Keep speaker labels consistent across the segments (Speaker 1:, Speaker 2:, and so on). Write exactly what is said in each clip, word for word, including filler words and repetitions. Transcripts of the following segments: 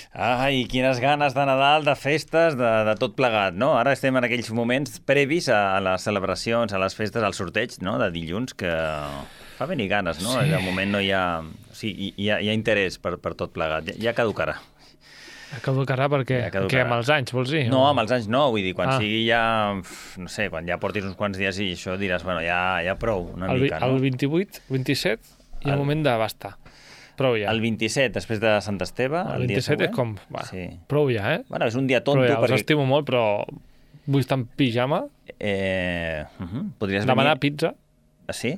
Speaker 1: Ai, quines ganes de Nadal, de festes, de, de tot plegat, no? Ara estem en aquells moments previs a les celebracions, a les festes, al sorteig, no?, de dilluns, que fa venir ganes, no? Sí. De moment no hi ha... O sigui, hi ha, hi ha interès per, per tot plegat. Ja, ja caducarà.
Speaker 2: Ja caducarà perquè... Ja caducarà. Què, amb els anys, vols dir?
Speaker 1: No, amb els anys no, vull dir, quan ah. sigui ja... No sé, quan ja portis uns quants dies i això diràs, bueno, ja, ja prou, una
Speaker 2: el,
Speaker 1: mica, no?
Speaker 2: El vint-i-vuit, vint-i-set, hi ha el... moment de bastar. Prou ja.
Speaker 1: El vint-i-set, després de Sant Esteve, el,
Speaker 2: el
Speaker 1: vint-i-set
Speaker 2: és com... Va, sí. Prou ja, eh?
Speaker 1: Bueno, és un dia tonto.
Speaker 2: Però ja,
Speaker 1: perquè...
Speaker 2: us estimo molt, però vull estar en pijama,
Speaker 1: eh... uh -huh. Podries
Speaker 2: demanar
Speaker 1: venir...
Speaker 2: pizza...
Speaker 1: Ah, sí?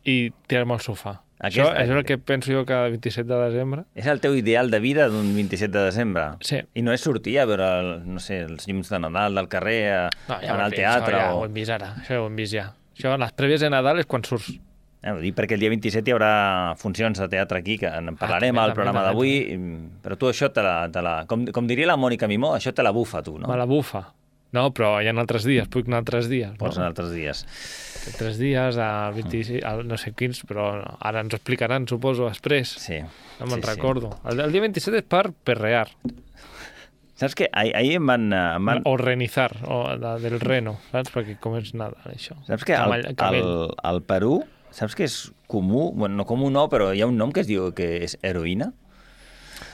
Speaker 2: I tirar-me al sofà.
Speaker 1: Aquest...
Speaker 2: Això és el que penso jo cada vint-i-set de desembre.
Speaker 1: És el teu ideal de vida d'un vint-i-set de desembre?
Speaker 2: Sí.
Speaker 1: I no és sortir a veure, el, no sé, els llums de Nadal del carrer, a,
Speaker 2: no, ja
Speaker 1: anar al
Speaker 2: fet,
Speaker 1: teatre...
Speaker 2: Això ja
Speaker 1: o...
Speaker 2: ho hem vist ara, això ja ho hem vist ja. Això, les prèvies de Nadal és quan surts.
Speaker 1: Eh, ho dic perquè el dia vint-i-set hi haurà funcions de teatre aquí, que en parlarem ah, al programa d'avui, però tu això te la... Te la com, com diria la Mònica Mimó, això te la bufa, tu, no?
Speaker 2: Me la bufa. No, però hi ha altres dies, puc anar altres dies.
Speaker 1: Pots
Speaker 2: no?
Speaker 1: anar altres dies.
Speaker 2: Altres dies, al vint-i-sis, al no sé quins, però ara ens ho explicaran, suposo, després.
Speaker 1: Sí.
Speaker 2: No me'n
Speaker 1: sí,
Speaker 2: recordo.
Speaker 1: Sí.
Speaker 2: El, el dia vint-i-set és per perrear.
Speaker 1: Saps què? Ahir, ahir em van... Em van...
Speaker 2: O renizar, o de, del reno, saps? Perquè com és nada, això.
Speaker 1: Saps què? Al, al, al Perú, saps que és comú? Bueno, no comú no, però hi ha un nom que es diu que és heroïna.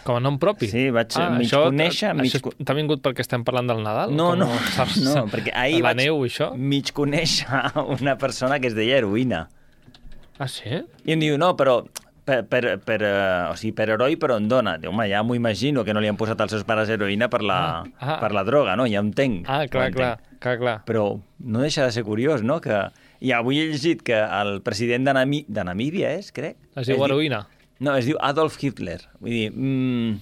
Speaker 2: Com a nom propi?
Speaker 1: Sí, vaig
Speaker 2: ah,
Speaker 1: mig
Speaker 2: això,
Speaker 1: conèixer... Mig...
Speaker 2: Això t'ha vingut perquè estem parlant del Nadal?
Speaker 1: No, no,
Speaker 2: saps,
Speaker 1: no, perquè ahir
Speaker 2: la
Speaker 1: vaig
Speaker 2: neu, això?
Speaker 1: mig conèixer una persona que es deia heroïna.
Speaker 2: Ah, sí?
Speaker 1: I em diu, no, però... Per, per, per, uh, o sigui, per heroi, però en dona. Diu, home, ja m'ho imagino que no li han posat als seus pares heroïna per la,
Speaker 2: ah, ah.
Speaker 1: per la droga, no? Ja ho entenc.
Speaker 2: Ah, clar, clar, clar, clar.
Speaker 1: Però no deixa de ser curiós, no? Que... I avui he llegit que el president de, Nami... de Namíbia, és, crec?
Speaker 2: Es diu es heroïna?
Speaker 1: Diu... No, es diu Adolf Hitler. Vull dir... Mm...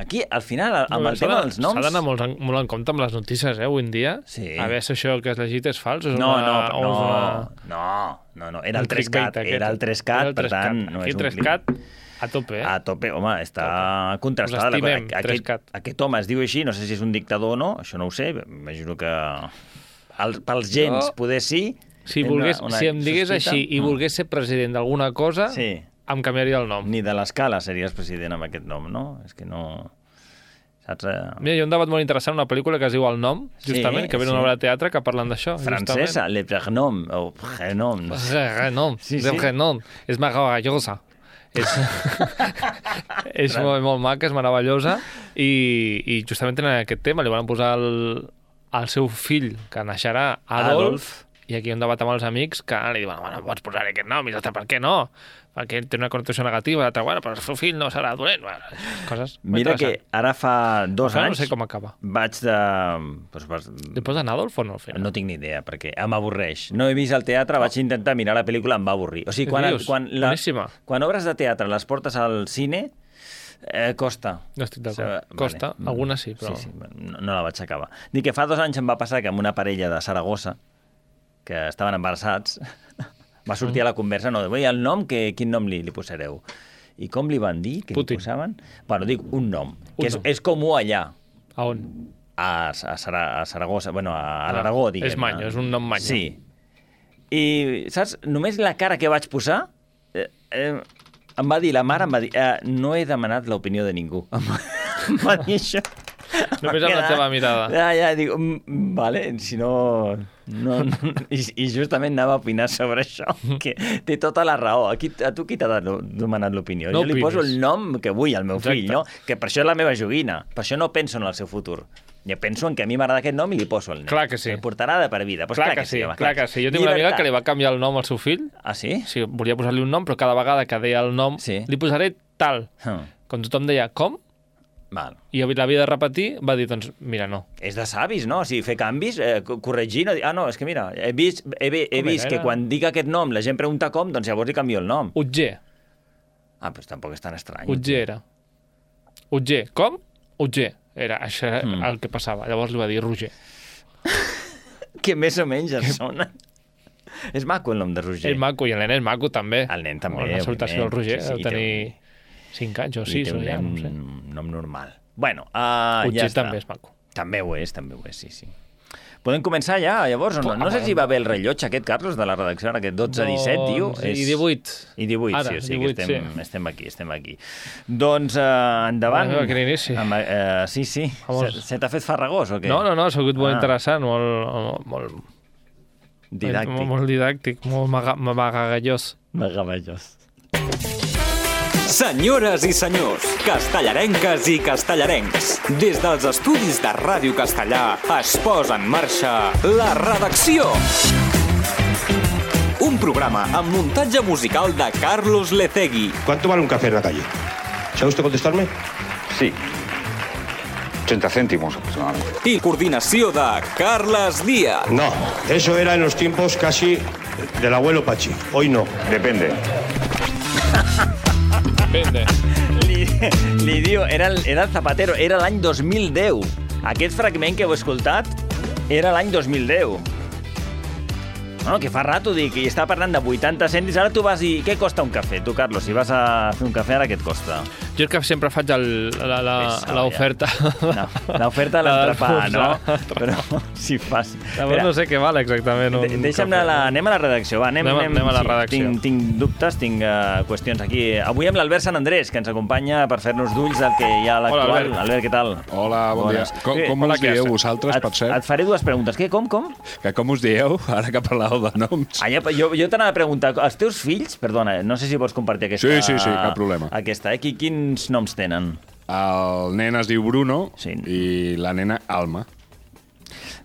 Speaker 1: Aquí, al final, amb no, el tema dels noms...
Speaker 2: S'ha d'anar molt, molt en compte amb les notícies, eh, avui en dia.
Speaker 1: Sí.
Speaker 2: A veure si això que has llegit és fals. És
Speaker 1: no,
Speaker 2: una,
Speaker 1: no,
Speaker 2: o
Speaker 1: no,
Speaker 2: una...
Speaker 1: no, no, no, era el tres cat, era el tres cat, per tant...
Speaker 2: No Aquí el tres cat a tope, eh?
Speaker 1: A tope, home, està tope. Contrastada.
Speaker 2: Us estimem,
Speaker 1: aquest, aquest home es diu així, no sé si és un dictador o no, això no ho sé, imagino que el, pels gens no. poder sí...
Speaker 2: Si, volgués, una, una si em digués sospita, així i no. volgués ser president d'alguna cosa,
Speaker 1: sí.
Speaker 2: em canviaria el nom.
Speaker 1: Ni de l'escala series president amb aquest nom, no? És que no... Saps?
Speaker 2: Mira, hi ha un debat molt interessant, una pel·lícula que es diu El nom, justament, sí, que ve una sí. obra de teatre que parlen d'això.
Speaker 1: Francesa, Le Prénom, o Prénom.
Speaker 2: Prénom, sí, sí. Prénom. És meravellosa. És, és molt, molt maca, és meravellosa, i, i justament tenen aquest tema, li van posar el, el seu fill, que naixerà Adolf, Adolf. I aquí hi ha un debat amb els amics que li diuen, bueno, pots posar aquest nom, i l'altre, per què no? Perquè té una connotació negativa, l'altre, bueno, però el seu fill no serà dolent. Bueno, coses
Speaker 1: Mira que ara fa dos
Speaker 2: Ojalà
Speaker 1: anys...
Speaker 2: No sé com acaba.
Speaker 1: Vaig de... Pues, pues...
Speaker 2: Li posen Adolf o no?
Speaker 1: No tinc ni idea, perquè m'avorreix. No he vist el teatre, oh. vaig intentar mirar la pel·lícula, em va avorrir. O sigui, quan, quan, la, quan obres de teatre les portes al cine, eh, costa.
Speaker 2: No estic d'acord. O sigui, costa, vale. Algunes sí, però...
Speaker 1: Sí, sí, no, no la vaig acabar. Dic que fa dos anys em va passar que amb una parella de Saragossa, que estaven embarassats, va sortir mm. a la conversa, no, el nom, que, quin nom li, li posareu? I com li van dir que
Speaker 2: Putin.
Speaker 1: Li posaven? Bueno, dic un nom,
Speaker 2: un
Speaker 1: que és,
Speaker 2: nom.
Speaker 1: és comú allà.
Speaker 2: A on?
Speaker 1: A, a, Sara, a Saragossa, bueno, a, a l'Aragó, diguem.
Speaker 2: És manyo, és un nom manyo.
Speaker 1: Sí. I, saps, només la cara que vaig posar, eh, eh, em va dir, la mare em va dir, eh, no he demanat l'opinió de ningú. Em va, em va dir això.
Speaker 2: Només amb la teva mirada.
Speaker 1: Ja, ja, dic, vale, si no... no, no i, I justament anava a opinar sobre això, que té tota la raó. Aquí, a tu qui t'ha demanat l'opinió?
Speaker 2: No
Speaker 1: jo li
Speaker 2: opines.
Speaker 1: poso el nom que vull al meu
Speaker 2: Exacte.
Speaker 1: fill, no? Que per això és la meva joguina. Per això no penso en el seu futur. Jo penso en que a mi m'agrada aquest nom i li poso el nen.
Speaker 2: Clar que sí.
Speaker 1: El portarà de per vida. Pues
Speaker 2: clar,
Speaker 1: clar
Speaker 2: que, que sí,
Speaker 1: home,
Speaker 2: clar que sí. Jo tinc una amiga que li va canviar el nom al seu fill.
Speaker 1: Ah, sí?
Speaker 2: Sí, volia posar-li un nom, però cada vegada que deia el nom,
Speaker 1: sí.
Speaker 2: li posaré tal.
Speaker 1: Hmm.
Speaker 2: Quan tothom deia, com?
Speaker 1: Val.
Speaker 2: I l'havia de repetir, va dir, doncs, mira, no.
Speaker 1: És de savis, no? O sigui, fer canvis, eh, corregir... No, ah, no, és que mira, he vist, he, he vist que quan dic aquest nom la gent pregunta com, doncs llavors li canvio el nom.
Speaker 2: Utger.
Speaker 1: Ah, doncs tampoc és tan estrany.
Speaker 2: Utger era. Utger. Com? Utger. Era això era mm. el que passava. Llavors li va dir Roger.
Speaker 1: Que més o menys es sona. És maco el nom de Roger.
Speaker 2: És maco, i el nen és maco també.
Speaker 1: El nen també.
Speaker 2: La salutació del Roger,
Speaker 1: sí, sí,
Speaker 2: deu tenir... cinc anys o sis, o ja, no sé.
Speaker 1: Un nom normal. Bueno, uh,
Speaker 2: Utger
Speaker 1: ja està.
Speaker 2: també és maco.
Speaker 1: També ho és, també ho és, sí, sí. Podem començar ja, llavors? No, no sé si va bé el rellotge aquest, Carlos, de la redacció, ara aquest dotze disset, diu.
Speaker 2: I divuit.
Speaker 1: I divuit,
Speaker 2: ara,
Speaker 1: sí, o sigui
Speaker 2: divuit,
Speaker 1: que estem,
Speaker 2: sí.
Speaker 1: estem aquí, estem aquí. Doncs, uh, endavant.
Speaker 2: Ah, quin inici.
Speaker 1: Amb, uh, sí, sí. Se, se t'ha fet farragós o què?
Speaker 2: No, no, no, ha sigut molt
Speaker 1: Ah.
Speaker 2: interessant, molt... molt
Speaker 1: Didàctic.
Speaker 2: Molt, molt didàctic, molt maga, magagallós.
Speaker 1: Magavellós.
Speaker 3: Senyores i senyors, castellarenques i castellarencs, des dels estudis de Ràdio Castellà es posa en marxa La Redacció. Un programa amb muntatge musical de Carlos Lecegui.
Speaker 4: ¿Cuánto vale un café en la calle? ¿Sabe usted contestarme?
Speaker 5: Sí. ochenta céntimos aproximadamente.
Speaker 3: I coordinació de Carles Díaz.
Speaker 4: No, eso era en los tiempos casi del abuelo Pachi. Hoy no.
Speaker 5: Depende.
Speaker 2: Depende.
Speaker 1: Li, li diu, era el, era el Zapatero, era l'any dos mil deu. Aquest fragment que heu escoltat era l'any dos mil deu. No, que fa rato, dic, i estava parlant de vuitanta cèntims, ara tu vas i... Què costa un cafè, tu, Carlos? Si vas a fer un cafè, ara què et costa?
Speaker 2: Jo és que sempre faig l'oferta.
Speaker 1: No, l'oferta de l'entrepà, no? Però si fas...
Speaker 2: Llavors no sé què val exactament un
Speaker 1: De, deixa'm anar a la, anem a la redacció, va. Anem,
Speaker 2: Anem a-
Speaker 1: anem,
Speaker 2: anem a la
Speaker 1: sí,
Speaker 2: redacció.
Speaker 1: Tinc, tinc dubtes, tinc uh, qüestions aquí. Avui amb l'Albert Sant Andrés, que ens acompanya per fer-nos d'ulls del que hi ha a l'actual.
Speaker 2: Hola, Albert.
Speaker 1: Albert, què tal?
Speaker 6: Hola, bon
Speaker 1: Bones.
Speaker 6: dia. Com,
Speaker 1: Què?
Speaker 6: com
Speaker 2: Hola,
Speaker 6: us dieu
Speaker 2: què?
Speaker 6: vosaltres,
Speaker 1: Et,
Speaker 6: per cert?
Speaker 1: et faré dues preguntes. Què? Com, com?
Speaker 6: Que com us dieu, ara que parlàveu de noms?
Speaker 1: Ah, ja, jo jo t'anava a preguntar, els teus fills, perdona, no sé si vols compartir aquesta...
Speaker 6: Sí, sí, sí, cap problema.
Speaker 1: Aquesta, eh? Qui- Quins noms tenen?
Speaker 6: El nen es diu Bruno
Speaker 1: Sí.
Speaker 6: i la nena Alma.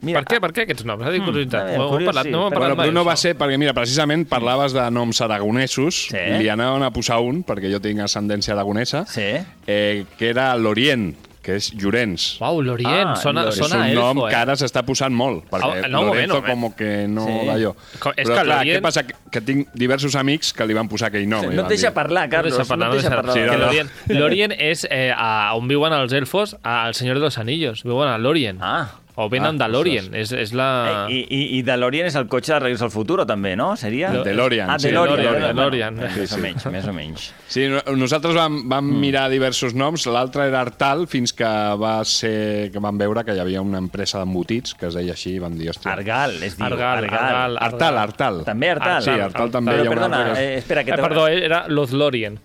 Speaker 1: Mira,
Speaker 2: Per què, per què aquests noms? Ha dit curiositat.
Speaker 1: a veure,
Speaker 2: No hem
Speaker 1: curiós,
Speaker 2: parlat,
Speaker 1: sí,
Speaker 2: no hem
Speaker 1: però
Speaker 2: parlat
Speaker 6: Bueno,
Speaker 2: mai
Speaker 6: Bruno va
Speaker 2: d'això.
Speaker 6: ser, perquè mira, precisament parlaves de noms aragonesos,
Speaker 1: Sí.
Speaker 6: li anaven a posar un, perquè jo tinc ascendència aragonesa,
Speaker 1: Sí.
Speaker 6: eh, que era l'Orient, que és Llorenç.
Speaker 2: Uau, l'Orient,
Speaker 1: Ah,
Speaker 2: sona,
Speaker 1: l'Orient.
Speaker 6: És
Speaker 2: sona
Speaker 6: un
Speaker 2: elfo,
Speaker 6: nom
Speaker 2: eh?
Speaker 6: que ara s'està posant molt, perquè
Speaker 2: Ah, no, un moment,
Speaker 6: Lorenzo
Speaker 2: un moment.
Speaker 6: com que no
Speaker 1: Sí.
Speaker 6: d'allò.
Speaker 2: Co- és
Speaker 6: Però
Speaker 2: que
Speaker 6: clar,
Speaker 2: l'Orient-
Speaker 6: què passa? Que, que tinc diversos amics que li van posar aquell nom. i
Speaker 1: no
Speaker 6: van
Speaker 1: et deixa
Speaker 6: dir-
Speaker 1: parlar, Carlos.
Speaker 2: No deixa parlar,
Speaker 1: no et deixa parlar.
Speaker 6: Sí,
Speaker 2: Que
Speaker 6: no, no.
Speaker 2: l'Orient l'Orient és eh, a, on viuen els elfos, al Senyor de los Anillos. Viuen a l'Orient.
Speaker 1: Ah.
Speaker 2: O venen
Speaker 6: Ah,
Speaker 2: de l'Orient. És, és la...
Speaker 1: Eh, I, i, I DeLorean és el cotxe de Regreso al Futuro, també, no? Seria?
Speaker 6: De- DeLorean,
Speaker 1: Ah,
Speaker 6: sí,
Speaker 1: DeLorean.
Speaker 2: DeLorean,
Speaker 1: Bueno,
Speaker 2: DeLorean.
Speaker 1: Més
Speaker 6: Sí,
Speaker 1: o
Speaker 6: sí.
Speaker 1: menys, més o menys.
Speaker 6: Sí, no- nosaltres vam, vam mm. mirar diversos noms. L'altre era Artal, fins que va ser que vam veure que hi havia una empresa d'embotits que es deia així i vam dir, hòstia...
Speaker 1: Argal, es diu.
Speaker 2: Argal, Argal,
Speaker 6: Artal, Artal.
Speaker 1: També Artal.
Speaker 6: Sí, Artal també.
Speaker 1: Però,
Speaker 6: hi ha una
Speaker 1: perdona,
Speaker 6: altra que-
Speaker 1: eh, espera, que
Speaker 2: Eh,
Speaker 1: te...
Speaker 2: perdó, era Los Lorien.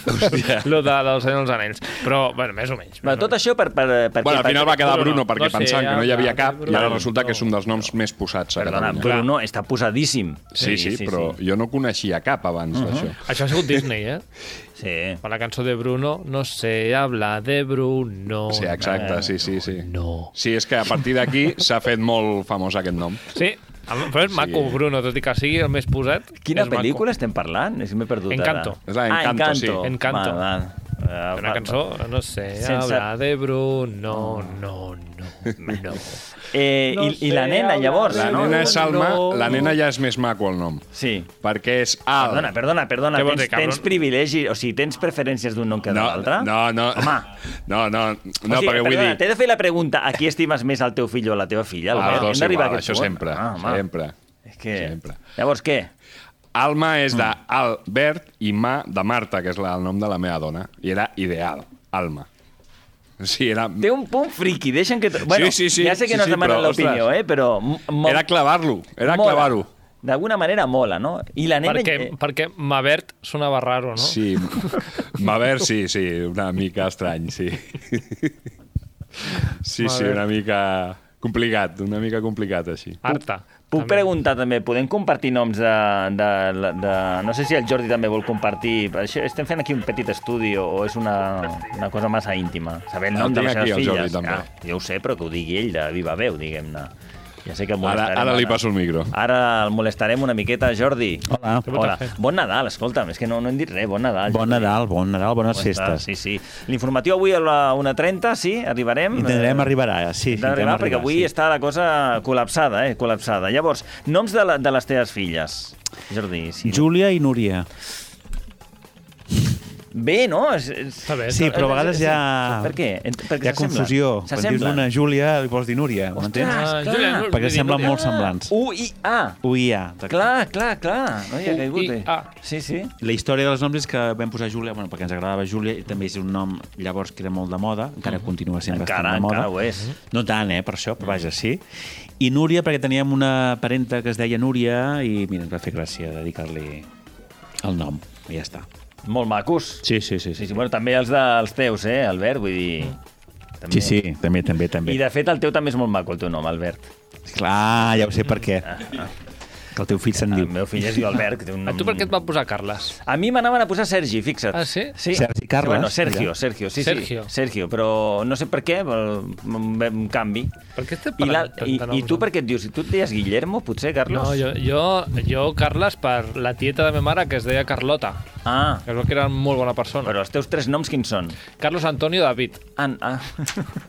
Speaker 6: Hòstia.
Speaker 2: Lo de, dels Senyor dels Anells. Però, bueno, més o menys.
Speaker 1: Bueno, tot això per... per, per
Speaker 6: Bueno, al final va quedar Bruno,
Speaker 2: Bruno,
Speaker 6: perquè
Speaker 2: no sé,
Speaker 6: pensaven que no hi havia
Speaker 2: Artal,
Speaker 6: cap i ara
Speaker 2: Bruno.
Speaker 6: resulta que és un dels noms més posats a
Speaker 1: Perdona,
Speaker 6: Catalunya.
Speaker 1: Bruno està posadíssim.
Speaker 6: Sí, sí, però jo no coneixia cap abans d'això.
Speaker 2: Això ha sigut Disney, eh?
Speaker 1: Sí.
Speaker 2: Per la cançó de Bruno, no sé habla de Bruno.
Speaker 6: Sí, exacte, sí, sí, sí.
Speaker 2: No.
Speaker 6: Sí, és que a partir d'aquí s'ha fet molt famós aquest nom.
Speaker 2: Sí, però és maco, Bruno, tot i que sigui el més posat.
Speaker 1: Quina
Speaker 2: és maco.
Speaker 1: pel·lícula estem parlant? És que m'he perdut
Speaker 2: Encanto.
Speaker 1: ara.
Speaker 6: És la Encanto,
Speaker 1: ah,
Speaker 6: sí.
Speaker 1: Encanto.
Speaker 2: Encanto.
Speaker 1: Va, va. Uh,
Speaker 2: Una cançó, no sé,
Speaker 1: Sense-
Speaker 2: habla de Bruno, no, no, no.
Speaker 1: Eh,
Speaker 2: No
Speaker 1: i, I la
Speaker 2: sé,
Speaker 1: nena,
Speaker 2: habla
Speaker 1: llavors,
Speaker 6: La
Speaker 1: no?
Speaker 6: nena és Alma,
Speaker 2: no.
Speaker 6: la nena ja és més maco el nom,
Speaker 1: Sí.
Speaker 6: perquè és Al.
Speaker 1: Perdona, perdona, perdona.
Speaker 2: Què vols
Speaker 1: Tens,
Speaker 2: dir, cabron?
Speaker 1: tens privilegi, o sigui, tens preferències d'un nom que de
Speaker 6: No,
Speaker 1: l'altre?
Speaker 6: no, no.
Speaker 1: Home.
Speaker 6: No, no, no,
Speaker 1: O sigui,
Speaker 6: perquè vull
Speaker 1: perdona,
Speaker 6: dir...
Speaker 1: t'he de fer la pregunta, a qui estimes més el teu fill o la teva filla?
Speaker 6: Ah,
Speaker 1: Albert?
Speaker 6: dos
Speaker 1: Hem d'arribar a
Speaker 6: igual,
Speaker 1: aquest
Speaker 6: això
Speaker 1: punt.
Speaker 6: sempre,
Speaker 1: Ah, home.
Speaker 6: sempre.
Speaker 1: És que...
Speaker 6: Sempre.
Speaker 1: Llavors, què?
Speaker 6: Alma és
Speaker 1: Mm.
Speaker 6: d'Albert i Ma de Marta, que és la- el nom de la meva dona. I era ideal, Alma. Sí, era...
Speaker 1: Té un punt friqui, deixa'm que... Bueno,
Speaker 6: sí, sí,
Speaker 1: ja sé que
Speaker 6: sí,
Speaker 1: no
Speaker 6: sí,
Speaker 1: es demana
Speaker 6: però,
Speaker 1: l'opinió,
Speaker 6: ostres.
Speaker 1: eh? Però... mo-
Speaker 6: Era clavar-lo, era
Speaker 1: mola.
Speaker 6: clavar-ho.
Speaker 1: D'alguna manera mola, no? I la nena...
Speaker 2: Perquè,
Speaker 1: eh,
Speaker 2: perquè Mavert sonava raro, no?
Speaker 6: Sí, Mavert, sí, sí, una mica estrany, sí. Sí, sí,
Speaker 2: Mavert.
Speaker 6: una mica complicat, una mica complicat així.
Speaker 2: Arta.
Speaker 1: Puc
Speaker 2: també.
Speaker 1: preguntar també, podem compartir noms de, de, de, de... No sé si el Jordi també vol compartir. Per això estem fent aquí un petit estudi o, o és una, una cosa massa íntima. Saber el
Speaker 6: El
Speaker 1: nom de
Speaker 6: tinc
Speaker 1: les
Speaker 6: aquí,
Speaker 1: seves
Speaker 6: el
Speaker 1: filles.
Speaker 6: Jordi, també.
Speaker 1: Ah, jo ho sé, però que ho digui ell de viva veu, diguem-ne. Ja sé que el
Speaker 6: Ara,
Speaker 1: molestarem.
Speaker 6: ara li passo el micro.
Speaker 1: Ara el molestarem una miqueta, Jordi.
Speaker 7: Hola.
Speaker 1: Hola. Bon Nadal, escolta'm, és que no, no hem dit res. Bon Nadal.
Speaker 7: Bon
Speaker 1: Jordi.
Speaker 7: Nadal, bon Nadal, bones
Speaker 1: Bon
Speaker 7: festes.
Speaker 1: Nadal, Sí, sí. L'informatiu avui a la una trenta, sí, arribarem.
Speaker 7: Intentarem
Speaker 1: Eh,
Speaker 7: arribar, sí.
Speaker 1: Intentarem arribar, perquè avui
Speaker 7: sí.
Speaker 1: està la cosa col·lapsada, eh? Col·lapsada. Llavors, noms de, la, de les teves filles. Jordi, sí.
Speaker 7: Júlia i Núria.
Speaker 1: bé, no? És, és...
Speaker 2: bé,
Speaker 7: Sí, però a vegades hi ha...
Speaker 1: Per què? Perquè
Speaker 7: hi ha confusió. Quan dius una Júlia, li vols dir Núria, m'entens?
Speaker 2: Ah, Júlia, no,
Speaker 7: Perquè
Speaker 2: vull dir
Speaker 7: semblen
Speaker 2: Núria.
Speaker 7: molt semblants.
Speaker 1: U I A.
Speaker 7: U I A.
Speaker 1: Clar, clar, clar. No hi ha caigut,
Speaker 2: U I A.
Speaker 1: eh? Sí, sí.
Speaker 7: La història dels noms és que vam posar Júlia, bueno, perquè ens agradava Júlia, i també és un nom llavors que era molt de moda, encara continua sent
Speaker 1: Encara,
Speaker 7: bastant de moda.
Speaker 1: encara ho és.
Speaker 7: No tant, eh, per això, però vaja, sí. I Núria, perquè teníem una parenta que es deia Núria, i mira, ens va fer gràcia dedicar-li el nom, i ja està.
Speaker 1: Molt macos.
Speaker 7: Sí, sí, sí.
Speaker 1: Sí, sí. Bueno, també els dels teus, eh, Albert? Vull dir... També...
Speaker 7: Sí, sí, també, també, també.
Speaker 1: I de fet el teu també és molt maco, el teu nom, Albert.
Speaker 7: Clar, ja ho sé per què. Que el teu fill se'n
Speaker 1: El
Speaker 7: diu.
Speaker 1: meu fill es diu Albert. Que té un
Speaker 2: A
Speaker 1: nom...
Speaker 2: tu per què et van posar Carles?
Speaker 1: A mi m'anaven a posar Sergi, fixa't.
Speaker 2: Ah, sí?
Speaker 1: Sí.
Speaker 7: Sergi Carles?
Speaker 1: Bueno, Sergio,
Speaker 7: Allà.
Speaker 1: Sergio, sí,
Speaker 2: Sergio.
Speaker 1: sí. Sergio, però no sé per què, però un, un canvi.
Speaker 2: Per què estem
Speaker 1: I, la,
Speaker 2: parlant
Speaker 1: i,
Speaker 2: de noms,
Speaker 1: I tu
Speaker 2: no?
Speaker 1: per què et dius? Si tu et deies Guillermo, potser, Carlos?
Speaker 2: No, jo, jo, jo, Carles, per la tieta de ma mare, que es deia Carlota,
Speaker 1: Ah,
Speaker 2: que es veu que era molt bona persona.
Speaker 1: però els teus tres noms quins són?
Speaker 2: Carlos Antonio David.
Speaker 1: An, ah.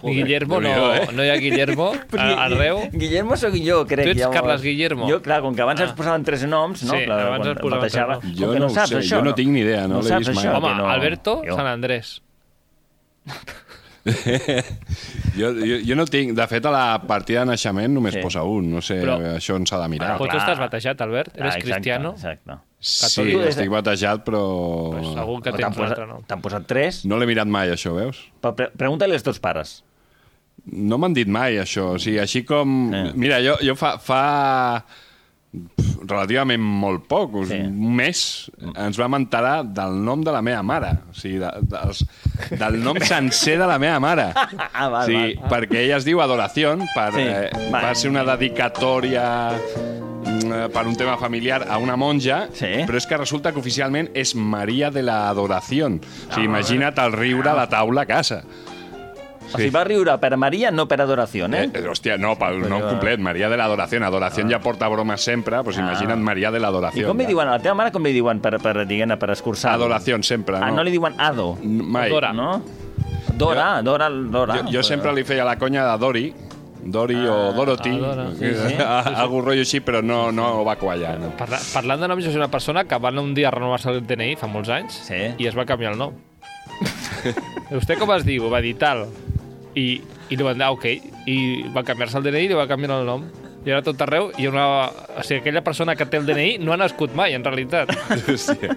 Speaker 2: I Guillermo, no,
Speaker 6: Déu-n'hi-do, eh?
Speaker 2: no hi ha Guillermo
Speaker 1: Però
Speaker 2: a- arreu.
Speaker 1: Guillermo sóc jo, crec.
Speaker 2: Tu ets
Speaker 1: llavors.
Speaker 2: Carles Guillermo.
Speaker 1: Jo, clar, com que abans
Speaker 2: Ah.
Speaker 1: ens posaven tres noms, no?
Speaker 2: Sí,
Speaker 1: Clar,
Speaker 2: abans
Speaker 1: quan
Speaker 2: ens posaven
Speaker 1: batejava.
Speaker 2: tres noms.
Speaker 1: Com
Speaker 6: Jo
Speaker 1: que
Speaker 6: no
Speaker 1: no
Speaker 6: ho
Speaker 1: saps,
Speaker 6: sé,
Speaker 1: això,
Speaker 6: jo no tinc ni idea, no l'he
Speaker 1: saps,
Speaker 6: vist mai.
Speaker 1: això,
Speaker 2: Home,
Speaker 1: que no...
Speaker 2: Alberto,
Speaker 1: Jo.
Speaker 2: Sant Andrés.
Speaker 6: jo, jo, jo no tinc... De fet, a la partida de naixement només
Speaker 1: Sí.
Speaker 6: posa un. No sé,
Speaker 2: Però-
Speaker 6: això on s'ha de mirar.
Speaker 1: Ah,
Speaker 2: Però tu
Speaker 1: clar.
Speaker 2: estàs batejat, Albert? Eres
Speaker 1: Ah, exacte,
Speaker 2: cristiano?
Speaker 1: Exacte.
Speaker 6: Sí,
Speaker 2: catòlic.
Speaker 6: estic batejat, però...
Speaker 2: Pues segur que
Speaker 1: Però
Speaker 2: tens
Speaker 1: T'han
Speaker 2: un altre
Speaker 1: posat,
Speaker 2: nom.
Speaker 1: t'han posat tres?
Speaker 6: No l'he mirat mai, això, veus?
Speaker 1: Però pre Pregunta-li als teus pares.
Speaker 6: No m'han dit mai, això. O sigui, així com...
Speaker 1: Eh.
Speaker 6: Mira, jo, jo fa, fa pf, relativament molt poc, us,
Speaker 1: Sí.
Speaker 6: un mes, ens vam enterar del nom de la meva mare. O sigui, de, dels, del nom sencer de la meva mare.
Speaker 1: Ah, val,
Speaker 6: sí,
Speaker 1: val.
Speaker 6: perquè ella es diu Adoración, per,
Speaker 1: Sí,
Speaker 6: eh,
Speaker 1: val.
Speaker 6: va ser una dedicatòria mm, per un tema familiar a una monja,
Speaker 1: Sí.
Speaker 6: però és que resulta que oficialment és Maria de la Adoración. O sigui, imagina't el riure a la taula a casa.
Speaker 1: O sigui, va riure per Maria, no per adoració, eh?
Speaker 6: Eh, eh, hòstia, no, pel nom complet, Maria de l'Adoración. Adoración ja porta bromes sempre, doncs imagina't Maria de
Speaker 1: I
Speaker 6: l'Adoración.
Speaker 1: com li diuen a la teva mare, com li diuen per, per, diguem-ne, per escurçar?
Speaker 6: Adoración sempre, no?
Speaker 1: Ah, no li diuen Ado,
Speaker 6: Mai.
Speaker 2: Dora.
Speaker 1: no? Dora, Dora, Dora.
Speaker 6: Jo, jo sempre li feia la conya de Dori, Dori o Dorothy,
Speaker 2: ah, Dora.
Speaker 1: Sí, sí.
Speaker 6: algun rotllo així, però no, no va quallar. No.
Speaker 2: Parla, parlant de noms, jo soc una persona que va anar un dia a renovar-se el D N I fa molts anys
Speaker 1: Sí.
Speaker 2: i es va canviar el nom. Vostè com es diu? Va dir tal. I, i li van dir, ah, ok. I va canviar-se el D N I i li va canviar el nom. I ara tot arreu hi ha una... O sigui, aquella persona que té el D N I no ha nascut mai, en realitat.
Speaker 6: Hòstia.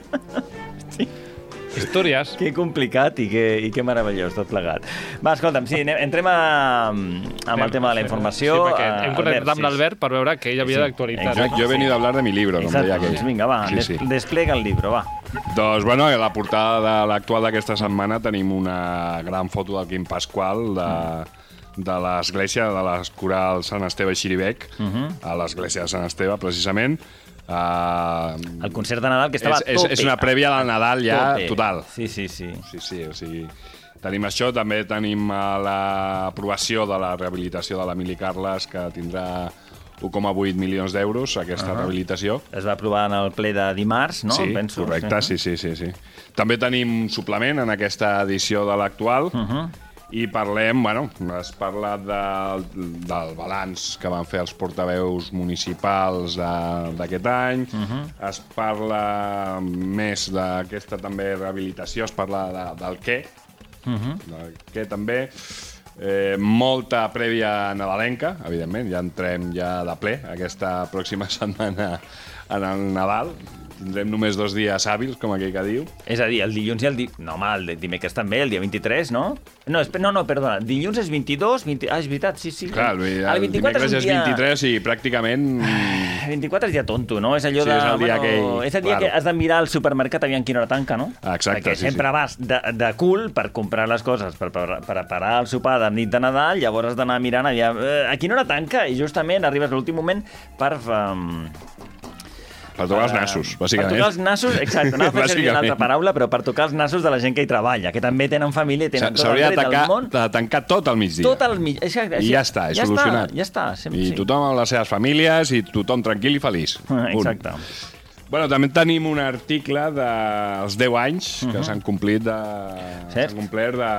Speaker 2: Històries.
Speaker 1: Que complicat i que, i que meravellós, tot plegat. Va, escolta'm, sí, anem, entrem a, amb el tema de la informació.
Speaker 2: Sí, perquè
Speaker 1: Eh,
Speaker 2: hem connectat
Speaker 1: Albert,
Speaker 2: amb
Speaker 1: sí.
Speaker 2: l'Albert per veure que ell havia
Speaker 1: Sí,
Speaker 2: d'actualitat.
Speaker 1: exacte.
Speaker 6: Jo he venido a hablar de mi libro, com
Speaker 1: Exacte,
Speaker 6: deia aquell.
Speaker 1: doncs vinga, va,
Speaker 6: Sí,
Speaker 1: des,
Speaker 6: sí.
Speaker 1: desplega el llibre, va.
Speaker 6: Doncs, bueno, a la portada de l'actual d'aquesta setmana tenim una gran foto del Quim Pasqual de, de l'església de les corals Sant Esteve i Xiribec, a l'església de Sant Esteve, precisament. Uh,
Speaker 1: El concert de Nadal que estava
Speaker 6: és,
Speaker 1: a
Speaker 6: és,
Speaker 1: tope.
Speaker 6: és una prèvia del Nadal ja
Speaker 1: Tope.
Speaker 6: total.
Speaker 1: Sí, sí, sí.
Speaker 6: Sí, sí, o sigui, tenim això, també tenim eh, l'aprovació de la rehabilitació de l'Emili Carles, que tindrà un coma vuit milions d'euros, aquesta uh -huh. rehabilitació.
Speaker 1: Es va aprovar en el ple de dimarts, no?
Speaker 6: Sí,
Speaker 1: Penso.
Speaker 6: correcte, sí, sí, sí, sí. També tenim un suplement en aquesta edició de l'actual, uh -huh. i parlem, bueno, es parla de, del balanç que van fer els portaveus municipals de- d'aquest any, uh -huh. es parla més d'aquesta també rehabilitació, es parla de, del què, uh -huh. del què també, eh, molta prèvia nadalenca, evidentment, ja entrem ja de ple aquesta pròxima setmana en el Nadal. Tindrem només dos dies hàbils, com aquell que diu.
Speaker 1: És a dir, el dilluns i el... Di... No, home, el dimecres també, el dia vint-i-tres, no? No, espe... no, no, perdona, dilluns és vint-i-dos, vint... ah, és veritat, sí, sí.
Speaker 6: Clar, el,
Speaker 1: el
Speaker 6: el dimecres
Speaker 1: un
Speaker 6: és
Speaker 1: dia...
Speaker 6: vint-i-tres i pràcticament...
Speaker 1: vint-i-quatre és dia tonto, no? És allò
Speaker 6: Sí,
Speaker 1: de...
Speaker 6: és el dia
Speaker 1: bueno,
Speaker 6: que-
Speaker 1: és el dia
Speaker 6: claro.
Speaker 1: que has de mirar al supermercat aviam quina hora tanca, no?
Speaker 6: Exacte,
Speaker 1: Perquè
Speaker 6: sí,
Speaker 1: sempre
Speaker 6: sí.
Speaker 1: vas de, de cul per comprar les coses, per, per, per preparar el sopar de nit de Nadal, llavors has d'anar mirant aviam, eh, a quina hora tanca? I justament arribes a l'últim moment per... Um,
Speaker 6: Per tocar els nassos, bàsicament.
Speaker 1: Per tocar els nassos, exacte, anava a fer servir una altra
Speaker 6: Bàsicament.
Speaker 1: paraula, però per tocar els nassos de la gent que hi treballa, que també tenen família i tenen tot el
Speaker 6: S'hauria de,
Speaker 1: dret del
Speaker 6: tancar,
Speaker 1: món.
Speaker 6: de tancar tot al migdia.
Speaker 1: Tot el mig. Exacte,
Speaker 6: I ja està, és solucionat.
Speaker 1: Està, ja està, sempre,
Speaker 6: I
Speaker 1: sí.
Speaker 6: tothom amb les seves famílies i tothom tranquil i feliç. Punt.
Speaker 1: Exacte.
Speaker 6: Bueno, també tenim un article dels deu anys que s'han complit de...
Speaker 1: Cert.
Speaker 6: s'han complert de,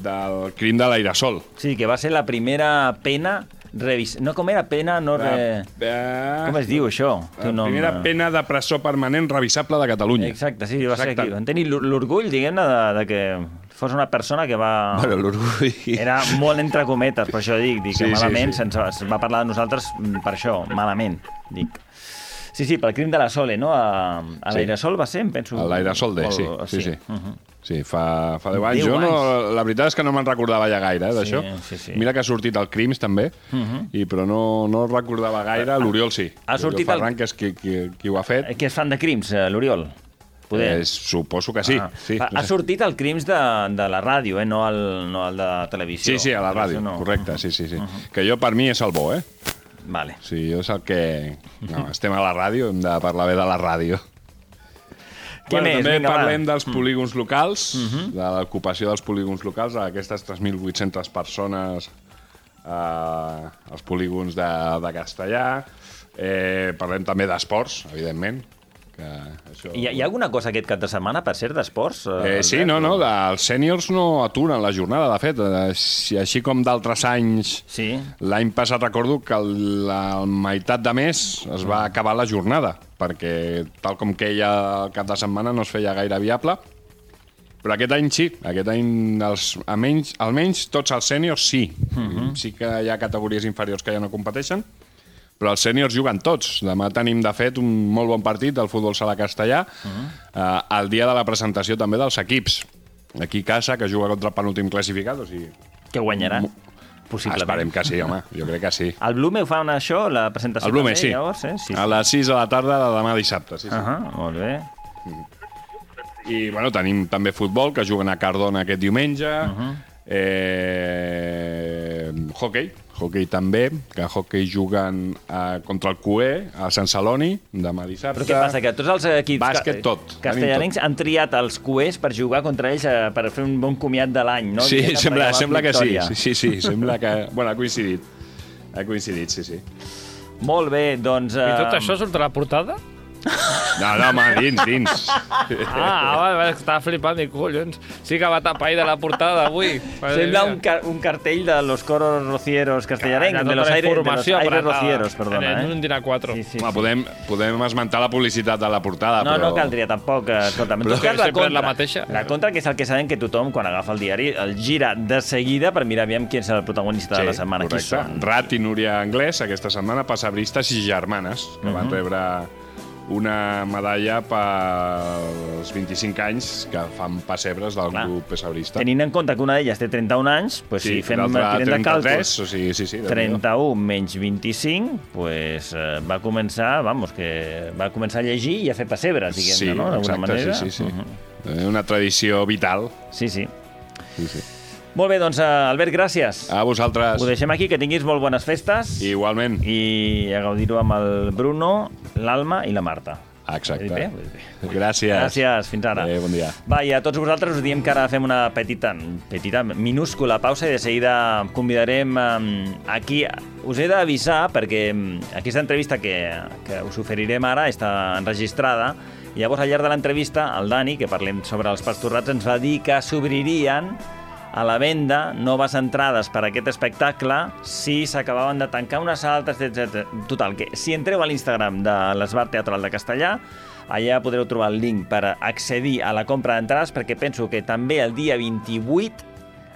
Speaker 6: del crim de l'airasol.
Speaker 1: Sí, que va ser la primera pena revis... No, com era? Pena no... Re... Com es diu, això?
Speaker 6: La primera pena de presó permanent revisable de Catalunya.
Speaker 1: Exacte, sí, va ser aquí. Van tenir l'orgull, diguem-ne, de, de que fos una persona que va...
Speaker 6: Bueno, l'orgull...
Speaker 1: Era molt entre cometes, per això dic, dic
Speaker 6: Sí,
Speaker 1: que malament
Speaker 6: sí, sí.
Speaker 1: se'ns va parlar de nosaltres per això, malament, dic. Sí, sí, pel crim de la Sole, no? A, a l'Airasol va ser, em penso...
Speaker 6: A l'Airasol D, sí, sí, sí.
Speaker 1: Uh -huh.
Speaker 6: Sí, fa, fa deu anys. Jo no, la veritat és que no me'n recordava ja gaire, eh, d'això.
Speaker 1: Sí, sí, sí.
Speaker 6: Mira que ha sortit el Crims, també, uh -huh. i, però no, no recordava gaire. L'Oriol sí.
Speaker 1: Ha sortit
Speaker 6: L'Oriol Ferran, el... que és qui, qui, qui ho ha fet.
Speaker 1: Qui és fan de Crims, l'Oriol?
Speaker 6: Eh, suposo que sí.
Speaker 1: Ah.
Speaker 6: sí
Speaker 1: ha, ha sortit el Crims de, de la ràdio, eh? no, el, no el de televisió.
Speaker 6: Sí, sí, a la ràdio, no. Correcte, sí, sí, sí. Uh -huh. Que jo, per mi, és el bo, eh?
Speaker 1: Vale.
Speaker 6: Sí, jo és el que... No, estem a la ràdio, hem de parlar bé de la ràdio.
Speaker 1: Què
Speaker 6: bueno,
Speaker 1: més?
Speaker 6: També
Speaker 1: Vinga,
Speaker 6: parlem
Speaker 1: va.
Speaker 6: dels polígons locals, uh -huh. de l'ocupació dels polígons locals, aquestes tres mil vuit-centes persones eh, als polígons de, de Castellà. Eh, parlem també d'esports, evidentment. Que això...
Speaker 1: Hi ha, hi ha alguna cosa aquest cap de setmana, per ser d'esports?
Speaker 6: Eh, sí, no, no, els sèniors no aturen la jornada, de fet. Eh, així com d'altres anys,
Speaker 1: sí.
Speaker 6: L'any passat recordo que la meitat de mes es va acabar la jornada, perquè tal com queia el cap de setmana no es feia gaire viable. Però aquest any sí, aquest any els, almenys, almenys tots els sèniors sí. Uh -huh. Sí que hi ha categories inferiors que ja no competeixen, però els sèniors juguen tots. Demà tenim, de fet, un molt bon partit del futbol sala castellà, uh -huh. eh, el dia de la presentació també dels equips. Aquí Casa, que juga contra el penúltim classificat, o sigui...
Speaker 1: Que guanyarà? Possiblement.
Speaker 6: Esperem que sí, home, jo crec que sí.
Speaker 1: El Blume ho fa això, la presentació
Speaker 6: el Blume,
Speaker 1: també,
Speaker 6: sí.
Speaker 1: llavors, eh? Sí, sí.
Speaker 6: A les sis de la tarda de demà dissabte, sí, sí.
Speaker 1: Uh -huh, molt bé.
Speaker 6: I, bueno, tenim també futbol, que juguen a Cardona aquest diumenge. Uh -huh. eh... Hockey, hockey també, que hockey juguen eh, contra el Q E a Sant Celoni, demà dissabte.
Speaker 1: Però què passa, que tots els equips
Speaker 6: Bàsquet, tot.
Speaker 1: castellanencs han triat els Q Es per jugar contra ells, eh, per fer un bon comiat de l'any, no?
Speaker 6: Sí,
Speaker 1: Diguem,
Speaker 6: sembla, sembla que sí,
Speaker 1: victòria.
Speaker 6: sí, sí, sí, sembla que... Bueno, ha coincidit. Ha coincidit, sí, sí.
Speaker 1: Molt bé, doncs... Eh...
Speaker 2: I tot això surt a la portada?
Speaker 6: No, no, home, dins, dins.
Speaker 2: Ah, va, va, estava flipant, dic, collons. Sí que va tapar ahí de la portada d'avui.
Speaker 1: Sembla un, car un cartell de los coros rocieros castellarencs, de los aires, de los aires rocieros, perdona.
Speaker 2: En un dinar quatre.
Speaker 1: Sí, sí,
Speaker 6: Home,
Speaker 1: sí.
Speaker 6: podem, podem esmentar la publicitat de la portada,
Speaker 1: No,
Speaker 6: però...
Speaker 1: no caldria tampoc. Escolta, en
Speaker 2: Però
Speaker 1: tot cas, la
Speaker 2: sempre és
Speaker 1: contra,
Speaker 2: la mateixa.
Speaker 1: la contra, que és el que sabem que tothom, quan agafa el diari, el gira de seguida per mirar aviam qui és el protagonista
Speaker 6: Sí,
Speaker 1: de la setmana. Qui
Speaker 6: correcte.
Speaker 1: són?
Speaker 6: Rat i Núria Anglès, aquesta setmana, passebristes i germanes, que uh -huh. van rebre una medalla pels vint-i-cinc anys que fan pessebres del
Speaker 1: Clar.
Speaker 6: grup pessebrista.
Speaker 1: Tenint en compte que una d'elles té trenta-un anys, pues,
Speaker 6: Sí,
Speaker 1: si fem
Speaker 6: l'altra
Speaker 1: tirem de càlculs,
Speaker 6: trenta-tres, o sigui, sí, sí, Déu-n'hi-do.
Speaker 1: trenta-un menys vint-i-cinc, pues, eh, va començar, vamos, que va començar a llegir i a fer pessebres, diguem-ne,
Speaker 6: Sí,
Speaker 1: no? D'alguna
Speaker 6: exacte,
Speaker 1: manera.
Speaker 6: sí, sí, sí.
Speaker 1: Uh -huh.
Speaker 6: Eh, Una tradició vital.
Speaker 1: Sí, sí.
Speaker 6: Sí, sí.
Speaker 1: Molt bé, doncs, eh, Albert, gràcies.
Speaker 6: A vosaltres.
Speaker 1: Ho deixem aquí, que tinguis molt bones festes.
Speaker 6: Igualment.
Speaker 1: I a gaudir-ho amb el Bruno, l'Alma i la Marta.
Speaker 6: Exacte.
Speaker 1: Ho he dit bé? Ho he dit bé.
Speaker 6: Gràcies.
Speaker 1: Gràcies, fins ara.
Speaker 6: Adéu, bon dia.
Speaker 1: Va, i a tots vosaltres us diem que ara fem una petita, petita, minúscula pausa i de seguida convidarem um, aquí... Us he d'avisar perquè um, aquesta entrevista que, que us oferirem ara està enregistrada i llavors al llarg de l'entrevista el Dani, que parlem sobre els pastorrats, ens va dir que s'obririen a la venda noves entrades per a aquest espectacle si s'acabaven de tancar unes altres, etcètera. Total, que si entreu a l'Instagram de l'Esbar Teatral de Castellà, allà podreu trobar el link per accedir a la compra d'entrades, perquè penso que també el dia vint-i-vuit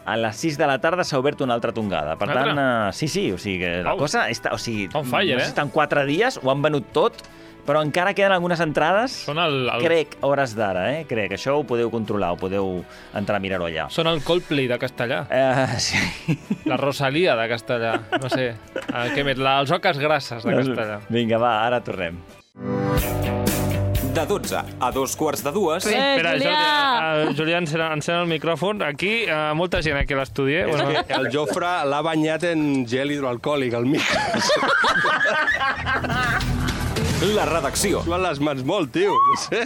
Speaker 1: a les sis de la tarda s'ha obert una altra tongada. Per tant, uh, sí, sí, o sigui que la
Speaker 2: Oh.
Speaker 1: cosa està... O sigui,
Speaker 2: On fire,
Speaker 1: no sé
Speaker 2: eh?
Speaker 1: si estan quatre dies, ho han venut tot, però encara queden algunes entrades,
Speaker 2: Són el, el,
Speaker 1: crec, a hores d'ara, eh? Crec, això ho podeu controlar, ho podeu entrar a mirar-ho allà.
Speaker 2: són el Coldplay de Castellà.
Speaker 1: Uh, sí.
Speaker 2: La Rosalia de Castellà. No sé. Uh, què més? La, els oques grasses de Castellà.
Speaker 1: Vinga, va, ara tornem.
Speaker 3: De dotze a dos quarts de dues...
Speaker 8: Eh,
Speaker 2: Espera,
Speaker 8: Julià!
Speaker 2: Jordi, uh, Julià, encén, encén el micròfon. Aquí, uh, molta gent aquí a l'estudi. Eh? Bueno,
Speaker 9: El Jofre l'ha banyat en gel hidroalcohòlic, al micro.
Speaker 3: La redacció.
Speaker 9: Suan les mans molt, tio, no sé.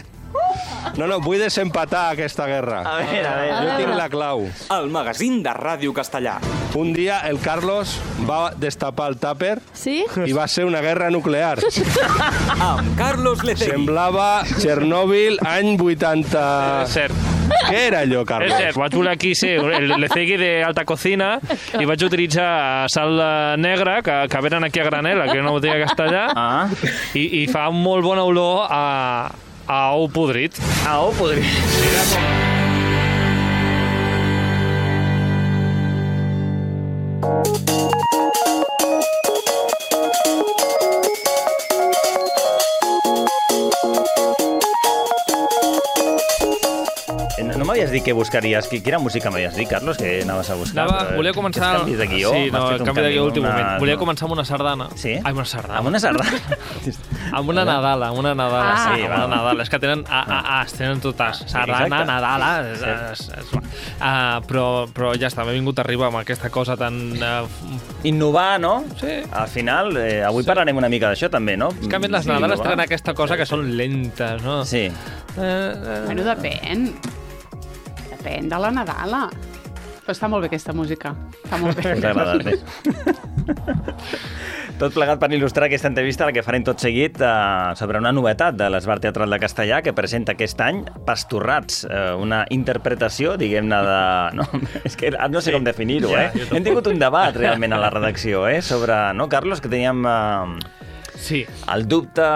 Speaker 9: No, no, vull desempatar aquesta guerra.
Speaker 1: A veure, a veure.
Speaker 9: Jo tinc la clau.
Speaker 3: El magazín de Ràdio Castellà.
Speaker 9: Un dia el Carlos va destapar el tàper
Speaker 8: Sí?
Speaker 9: i va ser una guerra nuclear.
Speaker 3: Amb Carlos Lecegui.
Speaker 9: Semblava Txernòbil any vuitanta...
Speaker 2: cert.
Speaker 9: Què era allò,
Speaker 2: És
Speaker 9: Carlos?
Speaker 2: cert, vaig voler aquí ser el lecegui d'alta cocina i vaig utilitzar sal negra, que, que venen aquí a granel, aquí a una botiga castellà,
Speaker 1: Ah,
Speaker 2: i, i fa molt bona olor a, a ou podrit.
Speaker 1: ah oh, podria... No m'havies dit que buscaries... Quina música m'havies dit, Carlos, que anaves a buscar?
Speaker 2: Anava, volia començar...
Speaker 1: Aquests canvis de guió?
Speaker 2: Sí, no,
Speaker 1: M'has fet
Speaker 2: el
Speaker 1: un
Speaker 2: canvi de guió
Speaker 1: una-
Speaker 2: últim moment. Volia
Speaker 1: no.
Speaker 2: començar amb una sardana.
Speaker 1: Sí?
Speaker 2: Ai, una sardana.
Speaker 1: Amb una sardana?
Speaker 2: Amb una Nadala, amb una Nadala.
Speaker 1: Ah,
Speaker 2: sí,
Speaker 1: sí,
Speaker 2: amb una
Speaker 1: va.
Speaker 2: Nadala. És que tenen A, A, A, es tenen totes. Sardana,
Speaker 1: exacte.
Speaker 2: Nadala... És, és, és, uh, però, però ja està, m'he vingut a arribar amb aquesta cosa tan... Uh,
Speaker 1: Innovar, no?
Speaker 2: Sí.
Speaker 1: Al final, eh, avui sí. parlarem una mica d'això, també, no?
Speaker 2: és que a més les
Speaker 1: Sí,
Speaker 2: Nadales
Speaker 1: innovar.
Speaker 2: tenen aquesta cosa que són lentes, no?
Speaker 1: Sí.
Speaker 2: Eh, eh,
Speaker 8: Bueno, depèn. Depèn de la Nadala. Però està molt bé aquesta música. Està molt bé.
Speaker 1: Us ha agradat, eh? Tot plegat per il·lustrar aquesta entrevista, la que farem tot seguit, eh, sobre una novetat de l'Esbar Teatral de Castellà que presenta aquest any Pastorrats, eh, una interpretació, diguem-ne, de... No, és que no sé com definir-ho, eh? Hem tingut un debat realment a la redacció, eh? Sobre, no, Carlos, que teníem eh,
Speaker 2: sí.
Speaker 1: el dubte...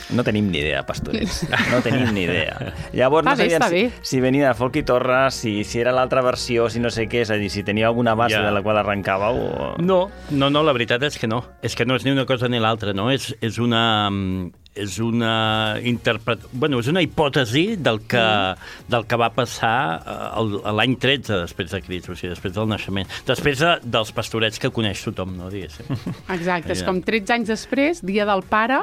Speaker 1: No tenim ni idea, pastorets. No tenim ni idea. Llavors,
Speaker 8: Està
Speaker 1: no
Speaker 8: bé,
Speaker 1: sabíem
Speaker 8: està
Speaker 1: si,
Speaker 8: bé.
Speaker 1: si venia de Folk i Torres, si, si era l'altra versió, si no sé què, és a dir, si tenia alguna base
Speaker 10: Ja.
Speaker 1: de la qual arrencàveu o...
Speaker 10: No, no, no, la veritat és que no. És que no és ni una cosa ni l'altra, no? És, és una... mm, és una interpret... bueno, és una hipòtesi del que, del que va passar eh, el- l'any tretze després de Crist, o sigui, després del naixement. Després de, dels pastorets que coneix tothom, no, diguéssim.
Speaker 8: Exacte, és
Speaker 10: Ja.
Speaker 8: com tretze anys després, dia del pare,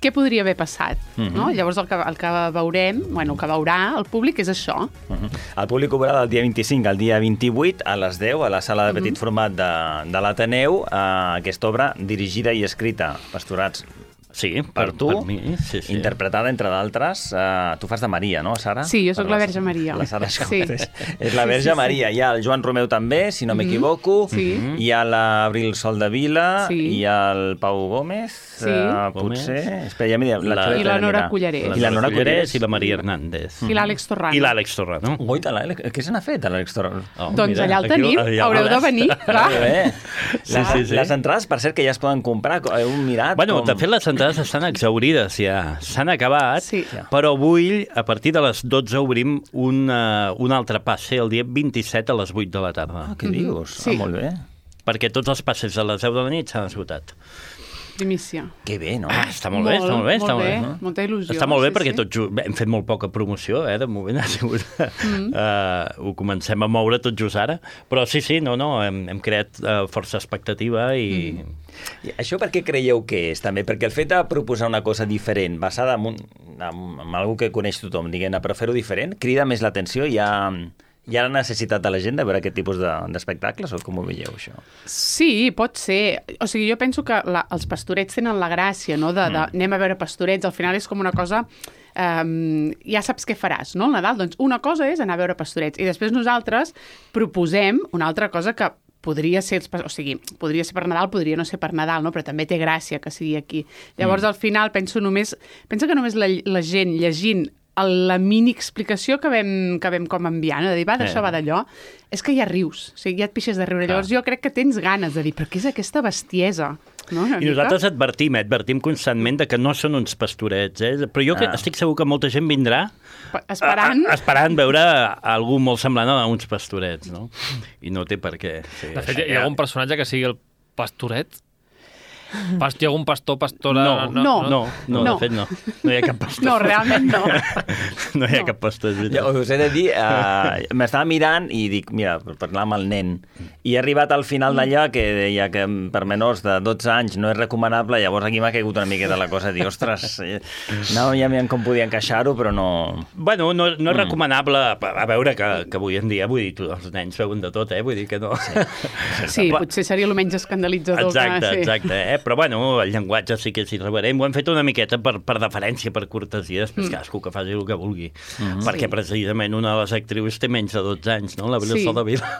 Speaker 8: què podria haver passat? No? Llavors el que, el que veurem, bueno, el que veurà el públic és això.
Speaker 1: Uh -huh. El públic ho veurà del dia vint-i-cinc al dia vint-i-vuit a les deu a la sala de petit format de, de l'Ateneu, eh, aquesta obra dirigida i escrita, Pastorats,
Speaker 10: Sí,
Speaker 1: per, tu,
Speaker 10: per mi, sí, sí.
Speaker 1: interpretada, entre d'altres, eh, tu fas de Maria, no, Sara?
Speaker 8: Sí, jo sóc
Speaker 1: Per
Speaker 8: la Verge Maria.
Speaker 1: La Sara
Speaker 8: Sí.
Speaker 1: Escotes. És la Verge
Speaker 8: Sí, sí, sí.
Speaker 1: Maria. Hi ha el Joan Romeu també, si no m'equivoco.
Speaker 8: Sí.
Speaker 1: Hi ha l'Abril Sol de Vila.
Speaker 8: Sí.
Speaker 1: Hi ha el Pau Gómez.
Speaker 8: Sí.
Speaker 1: eh,
Speaker 10: Gómez.
Speaker 1: potser... Espera, ja m'hi diu.
Speaker 10: La-
Speaker 8: I la Nora Cullerés.
Speaker 1: I la Nora Cullerés.
Speaker 10: i la Maria Hernández.
Speaker 8: I l'Àlex Torrano.
Speaker 10: I l'Àlex Torrano.
Speaker 1: Guaita, l'Àlex. Què se n'ha fet, a l'Àlex Torrano?
Speaker 10: Oh,
Speaker 8: Doncs
Speaker 10: mira,
Speaker 8: allà el
Speaker 10: aquí-
Speaker 8: tenim,
Speaker 10: allà
Speaker 8: haureu de
Speaker 10: veuràs.
Speaker 8: venir, clar.
Speaker 1: Molt bé.
Speaker 10: Sí,
Speaker 1: Les,
Speaker 10: sí, sí.
Speaker 1: les entrades, per cert, que ja es poden comprar, heu mirat?
Speaker 10: Bueno,
Speaker 1: com...
Speaker 10: de fet, les entrades estan exaurides ja. S'han acabat,
Speaker 8: Sí.
Speaker 10: però avui, a partir de les dotze, obrim un, uh, un altre passe el dia vint-i-set a les vuit de la tarda.
Speaker 1: Ah, què dius?
Speaker 8: Sí.
Speaker 1: Ah, molt bé.
Speaker 10: Perquè tots els passes a les deu de la nit s'han esgotat.
Speaker 8: Primícia.
Speaker 1: Que bé, no?
Speaker 10: Ah, està molt, bé, està molt bé. Està
Speaker 8: molt bé,
Speaker 10: molt bé.
Speaker 8: molta il·lusió.
Speaker 10: Està molt bé
Speaker 8: sí,
Speaker 10: perquè
Speaker 8: sí.
Speaker 10: tot just, bé, hem fet molt poca promoció, eh, de moment ha sigut... Mm. Uh, ho comencem a moure tot just ara, però sí, sí, no, no, hem, hem creat uh, força expectativa i... Mm.
Speaker 1: I això per què creieu que és, també? Perquè el fet de proposar una cosa diferent, basada en, un, en, en algú que coneix tothom, diguem-ne, però fer-ho diferent, crida més l'atenció? Hi ha, hi ha la necessitat de la gent de veure aquest tipus de- d'espectacles, o com ho veieu, això?
Speaker 8: Sí, pot ser. O sigui, jo penso que la, els pastorets tenen la gràcia, no?, de, de anem a veure pastorets. Al final és com una cosa... Um, ja saps què faràs, no?, al Nadal. Doncs una cosa és anar a veure pastorets. I després nosaltres proposem una altra cosa que podria ser, els pas- o sigui, podria ser per Nadal, podria no ser per Nadal, no? Però també té gràcia que sigui aquí. Llavors, al final, penso només... Penso que només la, la gent llegint el- la mini explicació que vam, que vam com enviar, no? De dir, va, d'això,
Speaker 10: Eh.
Speaker 8: va d'allò, és que ja rius, o sigui, ja et pixes de riure.
Speaker 10: Clar.
Speaker 8: Llavors jo crec que tens ganes de dir, però què és aquesta bestiesa? No? Una
Speaker 10: I
Speaker 8: mica?
Speaker 10: nosaltres advertim, eh, advertim constantment de que no són uns pastorets, eh? Però jo ah. estic segur que molta gent vindrà
Speaker 8: Pa- esperant.
Speaker 10: a, a, esperant veure algú molt semblant a uns pastorets, no? I no té per què. Sí,
Speaker 2: De fet,
Speaker 10: això
Speaker 2: hi ha
Speaker 10: ja-
Speaker 2: algun personatge que sigui el pastoret? Pas, hi ha algun pastor, pastora...
Speaker 10: No, no, no, no, no,
Speaker 8: No.
Speaker 10: de fet no. No hi ha cap pastor.
Speaker 8: No, realment no.
Speaker 10: No hi ha
Speaker 8: No.
Speaker 10: cap pastor, és
Speaker 1: Ja,
Speaker 10: veritat.
Speaker 1: us he de dir, uh, m'estava mirant i dic, mira, per parlar amb el nen, i he arribat al final d'allà que deia que per menors de dotze anys no és recomanable, llavors aquí m'ha caigut una miqueta la cosa, dir, ostres, eh, no ja veiem com podia encaixar-ho, però no...
Speaker 10: Bueno, no, no és recomanable, a, a veure que, que avui en dia, vull dir, tu, els nens veuen de tot, eh? Vull dir que no...
Speaker 8: Sí, potser seria el menys escandalitzador.
Speaker 10: Exacte,
Speaker 8: que, sí.
Speaker 10: exacte, eh? Però, bueno, el llenguatge sí que és irreverent. Ho hem fet una miqueta per, per deferència, per cortesia, després mm. cadascú que faci el que vulgui. Mm-hmm. Perquè, sí. precisament, una de les actrius té menys de dotze anys, no? L'Abril sí. Soldevila.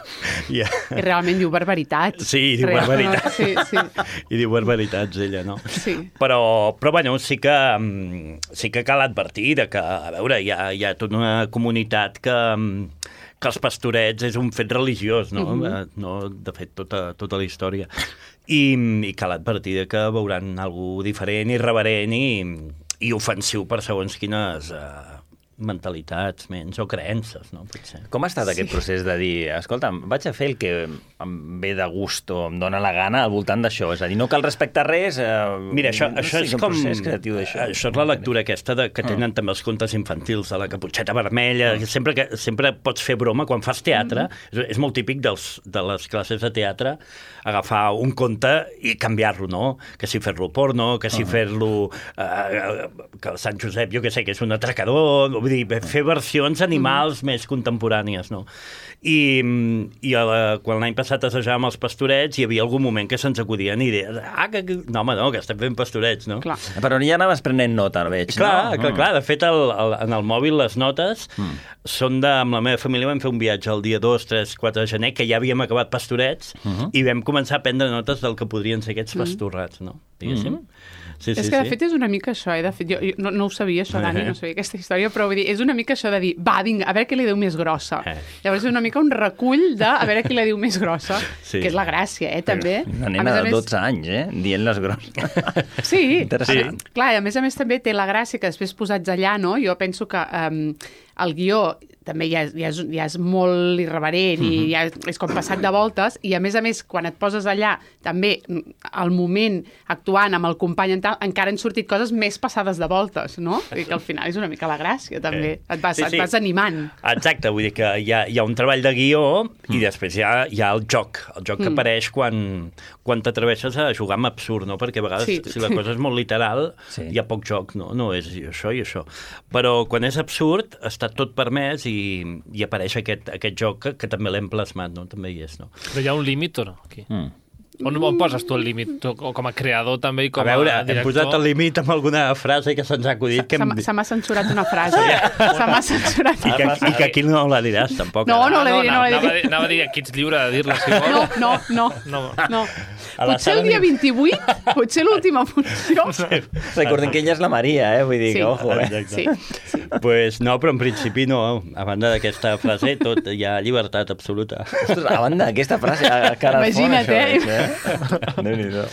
Speaker 10: I,
Speaker 8: I realment diu barbaritats.
Speaker 10: Sí, diu
Speaker 8: Real,
Speaker 10: barbaritats.
Speaker 8: No? Sí, sí.
Speaker 10: I diu barbaritats, ella, no?
Speaker 8: Sí.
Speaker 10: Però, però bueno, sí que, sí que cal advertir de que, a veure, hi ha, hi ha tota una comunitat que... que els pastorets és un fet religiós, no? Mm-hmm. No, de fet, tota, tota la història. I, i cal advertir que veuran alguna diferent, irreverent i, i ofensiu per segons quines uh, mentalitats, menys, o creences, no? Potser.
Speaker 1: Com ha estat sí. aquest procés de dir, escolta, vaig a fer el que em ve de gust o em dóna la gana al voltant d'això? És a dir, no cal respectar res... Eh,
Speaker 10: Mira, això,
Speaker 1: no
Speaker 10: això
Speaker 1: sé,
Speaker 10: és com...
Speaker 1: creatiu d'això.
Speaker 10: Això és la lectura aquesta de, que tenen mm. també els contes infantils, de la caputxeta vermella, mm. sempre, que, sempre pots fer broma quan fas teatre. Mm. És, és molt típic dels, de les classes de teatre agafar un conte i canviar-lo, no? Que si fer-lo porno, que si mm. fer-lo... Eh, que el Sant Josep, jo què sé, que és un atracador... Vull dir, fer versions animals mm. més contemporànies, no? I, i la, quan l'any passat assajàvem els pastorets, hi havia algun moment que se'ns acudien idees. Ah, que, que... No, home, no, que estem fent pastorets, no?
Speaker 8: Clar.
Speaker 1: Però ja anaves prenent nota, veig,
Speaker 10: clar,
Speaker 1: no?
Speaker 10: Clar, mm. clar. De fet, el, el, en el mòbil les notes mm. són de... Amb la meva família vam fer un viatge el dia dos, tres, quatre de gener, que ja havíem acabat pastorets, mm -hmm. i vam començar a prendre notes del que podrien ser aquests pastorrats, no? Diguéssim. Mm -hmm. Sí, sí,
Speaker 8: és que, de
Speaker 10: sí.
Speaker 8: fet, és una mica això, eh? De fet, jo, jo no, no ho sabia, això, Dani, no sabia aquesta història, però vull dir, és una mica això de dir, va, vinga, a veure què li diu més grossa. Eh. Llavors és una mica un recull de a veure qui la diu més grossa, sí. que és la gràcia, eh, també.
Speaker 1: Una nena de dotze anys, eh? Dient les grosses.
Speaker 8: Sí,
Speaker 1: interessant.
Speaker 8: Sí. Clar, i a més a més també té la gràcia que després posats allà, no? Jo penso que um, el guió també ja, ja, és, ja és molt irreverent mm-hmm. i ja és com passat de voltes, i a més a més, quan et poses allà, també al moment actuant amb el company en tal, encara han sortit coses més passades de voltes, no? I que al final és una mica la gràcia, també. Eh. Et, vas, sí, sí. et vas animant.
Speaker 10: Exacte, vull dir que hi ha, hi ha un treball de guió mm. i després hi ha, hi ha el joc, el joc que mm. apareix quan, quan t'atreveixes a jugar amb absurd, no? Perquè a vegades, sí. si la cosa és molt literal, sí. hi ha poc joc, no? No és això i això. Però quan és absurd, està tot permès i I, i apareix aquest, aquest joc que, que també l'hem plasmat, no? També hi és, no?
Speaker 2: Però hi ha un límit o no, aquí? Mm. On, on poses tu el límit? Tu, com a creador també i com
Speaker 10: a, veure,
Speaker 2: a director?
Speaker 10: Hem posat el límit amb alguna frase que se'ns ha acudit.
Speaker 8: Se,
Speaker 10: hem...
Speaker 8: se m'ha censurat una frase. Se m'ha censurat.
Speaker 10: I que, I que aquí no la diràs, tampoc.
Speaker 8: No, no la diré, no la diré.
Speaker 2: Anava, anava a dir, aquí ets lliure de dir-la, si vols.
Speaker 8: No, no, no. no. no. Potser el dia vint-i-vuit, potser l'última funció.
Speaker 1: Recordem que ella és la Maria, eh? Vull dir
Speaker 8: sí.
Speaker 1: que, ojo, eh?
Speaker 8: Sí, sí.
Speaker 10: Pues no, però en principi no. A banda d'aquesta frase, tot hi ha llibertat absoluta.
Speaker 1: Ostres, a banda d'aquesta frase, a cara
Speaker 8: Imagina't,
Speaker 1: fora,
Speaker 8: eh?
Speaker 1: això, eh? Déu-n'hi-do.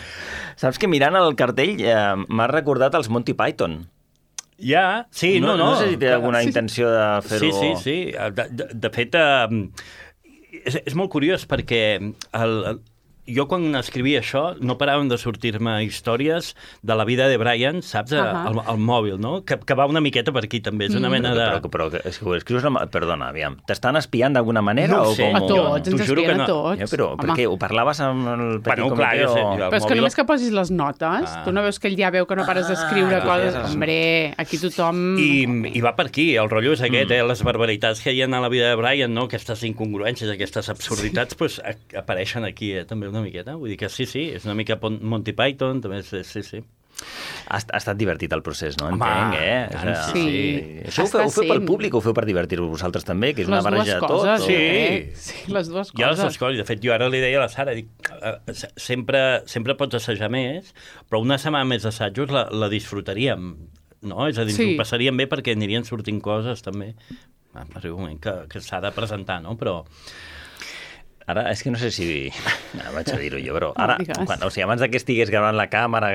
Speaker 1: Saps que mirant el cartell eh, m'ha recordat els Monty Python.
Speaker 10: Ja, sí, no, no.
Speaker 1: No, no sé si té alguna
Speaker 10: sí,
Speaker 1: intenció de fer-ho...
Speaker 10: Sí, sí, sí. De, de, de fet, eh, és, és molt curiós perquè el, el, jo quan escrivia això no paraven de sortir-me històries de la vida de Brian, saps? Uh -huh. al, al mòbil, no? Que, que va una miqueta per aquí també, és una mena de...
Speaker 1: Però, però, però és que ho escrius... Amb... Perdona, aviam, t'estan espiant d'alguna manera?
Speaker 10: No
Speaker 1: o
Speaker 10: sé.
Speaker 1: com...
Speaker 8: A tots, ens espien
Speaker 10: no.
Speaker 8: a tots.
Speaker 1: Ja, però per què? Ho parlaves amb el petit
Speaker 10: bueno,
Speaker 1: comitè?
Speaker 10: Clar, jo sé,
Speaker 1: o...
Speaker 10: jo,
Speaker 8: però és que només que posis les notes,
Speaker 10: ah.
Speaker 8: tu no veus que ell ja veu que no pares d'escriure
Speaker 1: ah,
Speaker 8: coses...
Speaker 1: ja
Speaker 8: Hombre, aquí tothom...
Speaker 10: I, I va per aquí, el rotllo és aquest, mm. eh? Les barbaritats que hi ha a la vida de Brian, no? Aquestes incongruències, aquestes absurditats, sí. pues, a, apareixen aquí, eh? També una miqueta. Vull dir que sí, sí, és una mica Monty Python, també, sí, sí. sí.
Speaker 1: Ha, ha estat divertit el procés, no?
Speaker 10: Home,
Speaker 1: Entenc, eh?
Speaker 10: tant,
Speaker 1: o
Speaker 10: sí.
Speaker 1: sí. Això ho feu, ho feu pel públic o ho feu per divertir-vos vosaltres també, que és
Speaker 8: les
Speaker 1: una barreja de tot?
Speaker 8: Coses,
Speaker 1: o...
Speaker 10: Sí.
Speaker 8: Eh? Sí, les dues coses.
Speaker 10: Jo les dues coses. De fet, jo ara li deia a la Sara, dic, sempre, sempre pots assajar més, però una setmana més d'assajos la, la disfrutaríem, no? És a dir, sí. ho passaríem bé perquè anirien sortint coses també. Arriba un moment que, que s'ha de presentar, no? Però...
Speaker 1: Ara, és que no sé si... No, vaig a dir-ho jo, però ara, quan, o sigui, abans que estigués gravant la càmera,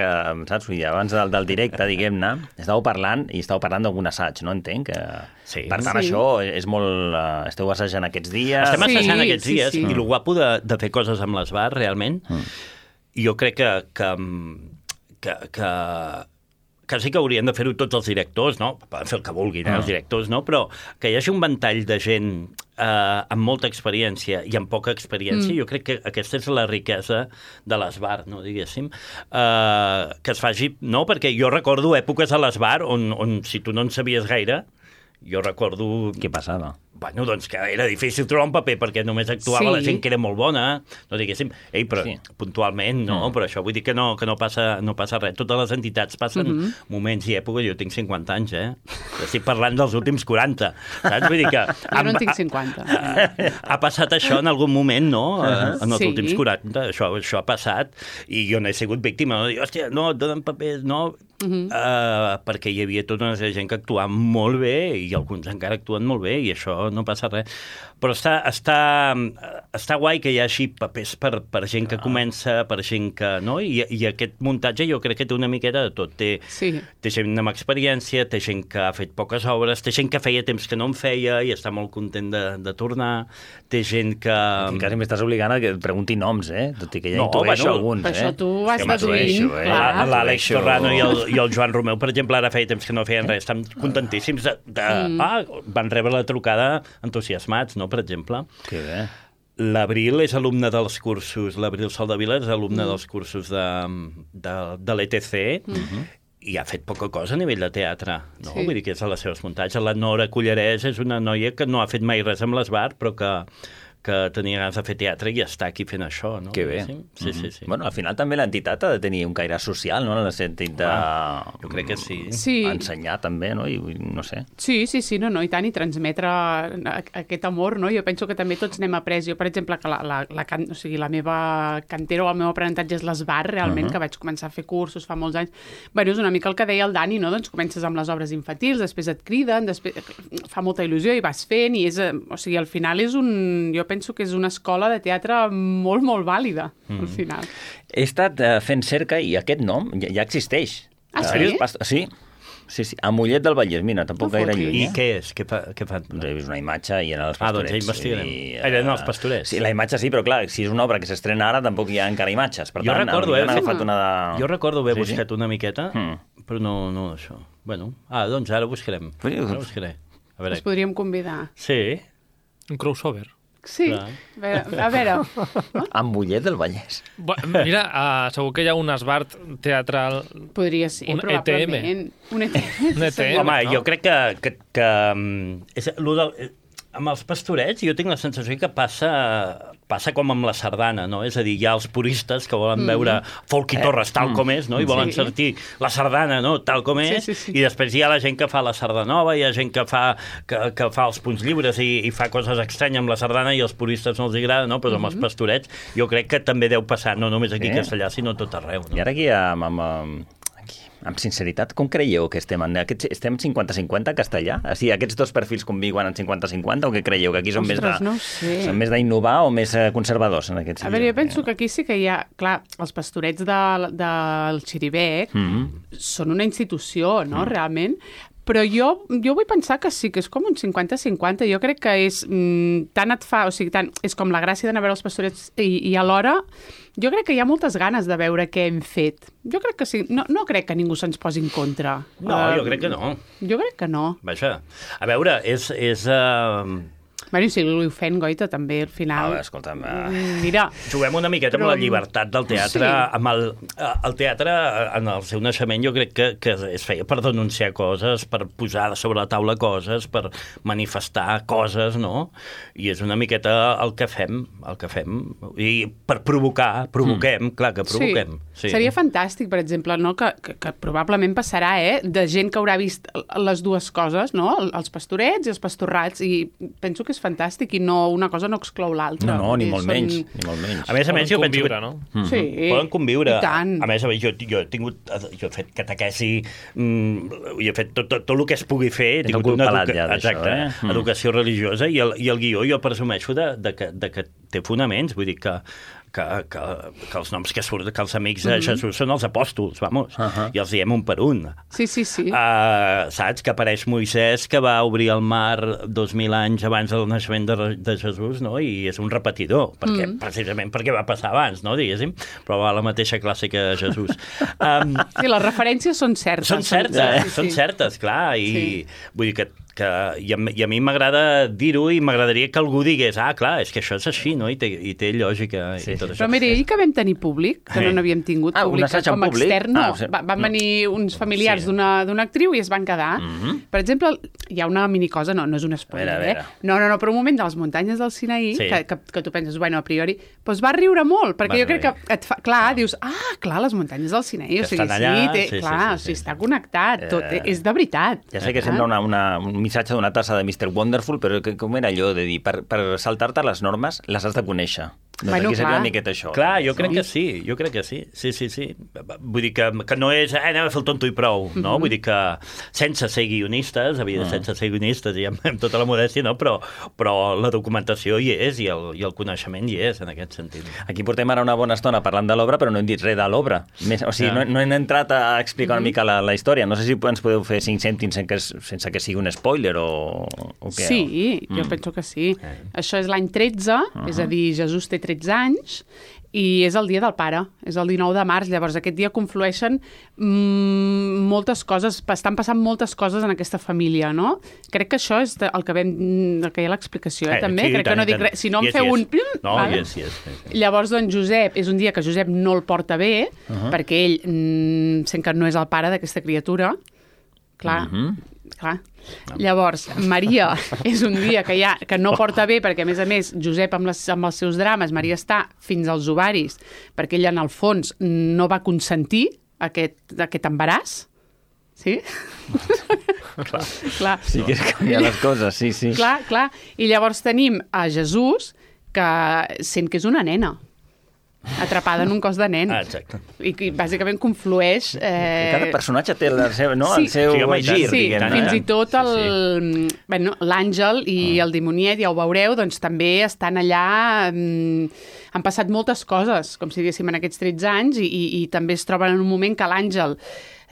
Speaker 1: saps? I abans del, del directe, diguem-ne, estàveu parlant i estàveu parlant d'algun assaig, no? Entenc que...
Speaker 10: Sí.
Speaker 1: Per tant,
Speaker 8: sí.
Speaker 1: això és molt... Uh, esteu assajant aquests dies...
Speaker 10: Estem assajant
Speaker 8: sí,
Speaker 10: aquests
Speaker 8: sí,
Speaker 10: dies,
Speaker 8: sí.
Speaker 10: i el guapo de, de fer coses amb l'esbar, realment, mm. jo crec que, que, que, que que sí que haurien de fer-ho tots els directors, no? Poden fer el que vulguin, eh, els directors, no? Però que hi hagi un ventall de gent eh, amb molta experiència i amb poca experiència, mm. jo crec que aquesta és la riquesa de l'esbar, no, diguéssim, eh, que es faci, no? Perquè jo recordo èpoques a l'esbar on, on si tu no en sabies gaire, jo recordo...
Speaker 1: Què passava?
Speaker 10: bueno, doncs que era difícil trobar un paper perquè només actuava sí. la gent que era molt bona, no diguéssim, ei, però sí. puntualment no, mm. però això vull dir que no, que no, passa, no passa res. Totes les entitats passen mm -hmm. moments i èpoques, jo tinc cinquanta anys, eh? Estic parlant dels últims quaranta, saps? Vull dir que...
Speaker 8: Jo no en tinc cinquanta.
Speaker 10: Ha, ha passat això en algun moment, no? Uh, en els sí. últims quaranta, això, això ha passat, i jo n'he sigut víctima, no? Dic, hòstia, no, et donen papers, no... Uh -huh. uh, perquè hi havia tota una gent que actuava molt bé i alguns encara actuen molt bé i això no passa res. Però està, està, està guai que hi hagi papers per, per gent que comença, per gent que... No? I, I aquest muntatge jo crec que té una miqueta de tot. Té,
Speaker 8: sí.
Speaker 10: té gent amb experiència, té gent que ha fet poques obres, té gent que feia temps que no en feia i està molt content de, de tornar, té gent que...
Speaker 1: Aquí quasi m'estàs obligant a que et pregunti noms, eh? Tot i que ja
Speaker 10: no,
Speaker 1: intueixo
Speaker 10: bueno,
Speaker 1: alguns,
Speaker 8: per
Speaker 1: eh?
Speaker 8: això tu vas
Speaker 1: deduint,
Speaker 8: eh? clar.
Speaker 10: L'Àlex Torrano i el, i el Joan Romeu, per exemple, ara feia temps que no feien res, estan contentíssims de... de mm. Ah, van rebre la trucada entusiasmats, no?, per exemple.
Speaker 1: Que bé.
Speaker 10: L'Abril és alumne dels cursos, l'Abril Soldevila és alumne mm. dels cursos de, de, de l'E T C, mm -hmm. i ha fet poca cosa a nivell de teatre, no? Sí. Vull dir que és a les seves muntatges. La Nora Cullerès és una noia que no ha fet mai res amb l'Esbart, però que que tenia ganes de fer teatre i està aquí fent això, no?
Speaker 1: Que bé.
Speaker 10: Sí, sí, sí, sí.
Speaker 1: Bueno, al final també l'entitat ha de tenir un caire social, no?, en el sentit de...
Speaker 10: Ah, jo crec que sí.
Speaker 8: sí.
Speaker 1: Ensenyar també, no?, i no sé.
Speaker 8: Sí, sí, sí, no, no, i tant, i transmetre aquest amor, no? Jo penso que també tots n'hem après. Jo, per exemple, que la, la, la, can... o sigui, la meva cantera o el meu aprenentatge és l'Esbart, realment, uh -huh. que vaig començar a fer cursos fa molts anys. Bueno, és una mica el que deia el Dani, no? Doncs comences amb les obres infantils, després et criden, després fa molta il·lusió i vas fent, i és... O sigui, al final és un... Jo penso que és una escola de teatre molt, molt vàlida, mm. al final.
Speaker 1: He estat uh, fent cerca i aquest nom ja, ja existeix.
Speaker 8: Ah, sí?
Speaker 1: Sí, sí, sí. A Mollet del Vallès, mira, tampoc no gaire lluny.
Speaker 10: I què és? Què, fa, què fan?
Speaker 1: Doncs he vist una imatge i eren els
Speaker 10: pastorets. Ah, doncs ja investigarem. I, uh, eren els pastorets.
Speaker 1: Sí, la imatge sí, però clar, si és una obra que s'estrena ara, tampoc hi ha encara imatges. Per
Speaker 10: jo
Speaker 1: tant,
Speaker 10: recordo, eh,
Speaker 1: agafat una de...
Speaker 10: jo recordo haver sí, buscat
Speaker 1: sí?
Speaker 10: una miqueta, mm. però no, no això. Bueno, ah, doncs ara buscarem. Ara buscaré. A veure.
Speaker 8: Us podríem convidar.
Speaker 10: Sí.
Speaker 2: Un crossover.
Speaker 8: Sí, a veure. A veure.
Speaker 1: Amb Mollet del Vallès.
Speaker 2: Mira, uh, segur que hi ha un Esbart teatral...
Speaker 8: Podria ser,
Speaker 2: un
Speaker 8: probablement.
Speaker 2: E T M.
Speaker 8: Un E T M.
Speaker 2: Un E T M,
Speaker 10: home,
Speaker 2: no?
Speaker 10: jo crec que... que, que és, del, amb els pastorets jo tinc la sensació que passa... passa com amb la sardana, no? És a dir, hi ha els puristes que volen mm. veure Folk i Torres tal mm. com és, no? I volen sí. sentir la sardana, no?, tal com és,
Speaker 8: sí, sí, sí.
Speaker 10: i després hi ha la gent que fa la sardanova, hi ha gent que fa, que, que fa els punts lliures i, i fa coses estranyes amb la sardana i els puristes no els agrada, no? Però mm -hmm. amb els pastorets jo crec que també deu passar, no només aquí sí. a Castellà, sinó a tot arreu. No?
Speaker 1: I ara aquí amb... amb, amb... amb sinceritat, com creieu que estem? En aquests, estem cinquanta cinquanta castellà? O sigui, aquests dos perfils conviuen en cinquanta cinquanta o què creieu? Que aquí són
Speaker 8: Ostres,
Speaker 1: més de,
Speaker 8: no sé.
Speaker 1: són més d'innovar o més conservadors en aquest
Speaker 8: sentit? A veure, jo penso que aquí sí que hi ha... Clar, els pastorets de, del Xiribec mm -hmm. són una institució, no?, mm. realment. Però jo, jo vull pensar que sí, que és com un cinquanta cinquanta. Jo crec que és mm, tant et fa... O sigui, tant, és com la gràcia d'anar a veure els pastorets i, i alhora jo crec que hi ha moltes ganes de veure què hem fet. Jo crec que sí. No, no crec que ningú se'ns posi en contra.
Speaker 10: No, uh, jo crec que no.
Speaker 8: Jo crec que no.
Speaker 10: Vaja, a veure, és... és uh...
Speaker 8: Bueno, i si ho fent, Goita, també, al final...
Speaker 1: A veure, escolta'm... Uh...
Speaker 8: Mira...
Speaker 10: Juguem una miqueta però... amb la llibertat del teatre. Sí. Amb el, el teatre, en el seu naixement, jo crec que, que es feia per denunciar coses, per posar sobre la taula coses, per manifestar coses, no? I és una miqueta el que fem, el que fem. I per provocar, provoquem, mm. clar que provoquem.
Speaker 8: Sí. Sí. Seria fantàstic, per exemple, no? que, que, que probablement passarà, eh? De gent que haurà vist les dues coses, no? Els pastorets i els pastorrats, i penso que és fantàstic i no, una cosa no exclou l'altra.
Speaker 1: No, no, ni molt, són... menys, ni molt menys.
Speaker 10: A més a més, jo penso
Speaker 2: que... no?
Speaker 8: Mm-hmm. Sí.
Speaker 10: Poden conviure.
Speaker 8: I tant.
Speaker 10: A més, a més jo, jo he tingut... Jo he fet catequesi, mm, jo he fet tot, tot, tot el que es pugui fer. He tingut una educa... ja Exacte, eh? mm. educació religiosa, i el, i el guió jo presumeixo de, de, que, de que té fonaments, vull dir que Que, que, que els noms que surten, que els amics de mm -hmm. Jesús són els apòstols, vamos, uh -huh. i els diem un per un.
Speaker 8: Sí, sí, sí.
Speaker 10: Uh, saps que apareix Moisès, que va obrir el mar dos mil anys abans del naixement de, de Jesús, no? I és un repetidor, perquè, mm. precisament perquè va passar abans, no? Diguéssim, però va a la mateixa classe que Jesús. Um,
Speaker 8: sí, les referències són certes.
Speaker 10: Són certes,
Speaker 8: sí,
Speaker 10: eh?
Speaker 8: sí,
Speaker 10: són
Speaker 8: sí.
Speaker 10: certes, clar, i sí. vull dir que que, i, a, i a mi m'agrada dir-ho i m'agradaria que algú digués, ah, clar, és que això és així, no? I té, i té lògica sí, i tot això.
Speaker 8: Però mira, ahir que vam tenir públic, que no n'havíem tingut
Speaker 1: ah,
Speaker 8: públic com a extern, no, ah, o sigui, van venir no. uns familiars sí. d'una actriu i es van quedar. Mm-hmm. Per exemple, hi ha una minicosa, no, no és un spoiler, a veure, a veure. eh? No, no, no, però un moment de les muntanyes del Sinaí, sí. que, que, que tu penses, bueno, a priori, doncs va riure molt, perquè va jo crec que et fa, clar, no. dius, ah, clar, les muntanyes del Sinaí, o sigui, allà, sí, té, sí, clar, sí, sí, sí. O sigui, està connectat, tot, eh, és de veritat.
Speaker 1: Ja sé que sembla una, una, un missatge d'una tassa de mister Wonderful, però que, com era allò de dir, per, per saltar-te les normes les has de conèixer. Doncs bueno, aquí seria una miqueta això.
Speaker 10: Clar, jo crec que sí, jo crec que sí. Sí, sí, sí. Vull dir que, que no és, eh, anem a fer el tonto i prou, no? Mm-hmm. Vull dir que sense ser guionistes, havia de sense ser guionistes i amb, amb tota la modèstia, no? Però, però la documentació hi és i el, i el coneixement hi és, en aquest sentit.
Speaker 1: Aquí portem ara una bona estona parlant de l'obra, però no hem dit res de l'obra. O sigui, no, no hem entrat a explicar una mica la, la història. No sé si ens podeu fer cinc cèntims sense que, sense que sigui un spoiler o, o què.
Speaker 8: Sí, jo mm. penso que sí. Eh. Això és l'any tretze, uh-huh. és a dir, Jesús té tretze anys, i és el dia del pare, és el dinou de març, llavors aquest dia conflueixen mmm, moltes coses, estan passant moltes coses en aquesta família, no? Crec que això és el que vam, el que hi ha l'explicació, eh, també, sí, crec tant, que no dic res, si no em yes, feu yes. un...
Speaker 10: No,
Speaker 8: vale?
Speaker 10: yes, yes, yes.
Speaker 8: Llavors, doncs, Josep, és un dia que Josep no el porta bé, uh-huh. perquè ell mm, sent que no és el pare d'aquesta criatura, clar, uh-huh. clar. No. Llavors, Maria és un dia que, ha, que no porta bé perquè, a més a més, Josep amb, les, amb els seus drames, Maria està fins als ovaris perquè ella, en el fons, no va consentir aquest, aquest embaràs. Sí?
Speaker 1: Clar. clar. Sí que és canviar les coses, sí, sí.
Speaker 8: Clar, clar. I llavors tenim a Jesús que sent que és una nena atrapada en un cos de nen.
Speaker 10: Ah, exacte.
Speaker 8: I, i bàsicament conflueix... Eh...
Speaker 1: Cada personatge té el seu, no?
Speaker 8: sí,
Speaker 1: el seu
Speaker 8: sí,
Speaker 1: gir,
Speaker 8: sí,
Speaker 1: diguem.
Speaker 8: Fins i tot el, sí, sí. Bueno, l'Àngel i mm. el dimoniet, ja ho veureu, doncs també estan allà... Mm, han passat moltes coses, com si diguéssim, en aquests tretze anys, i, i, i també es troben en un moment que l'Àngel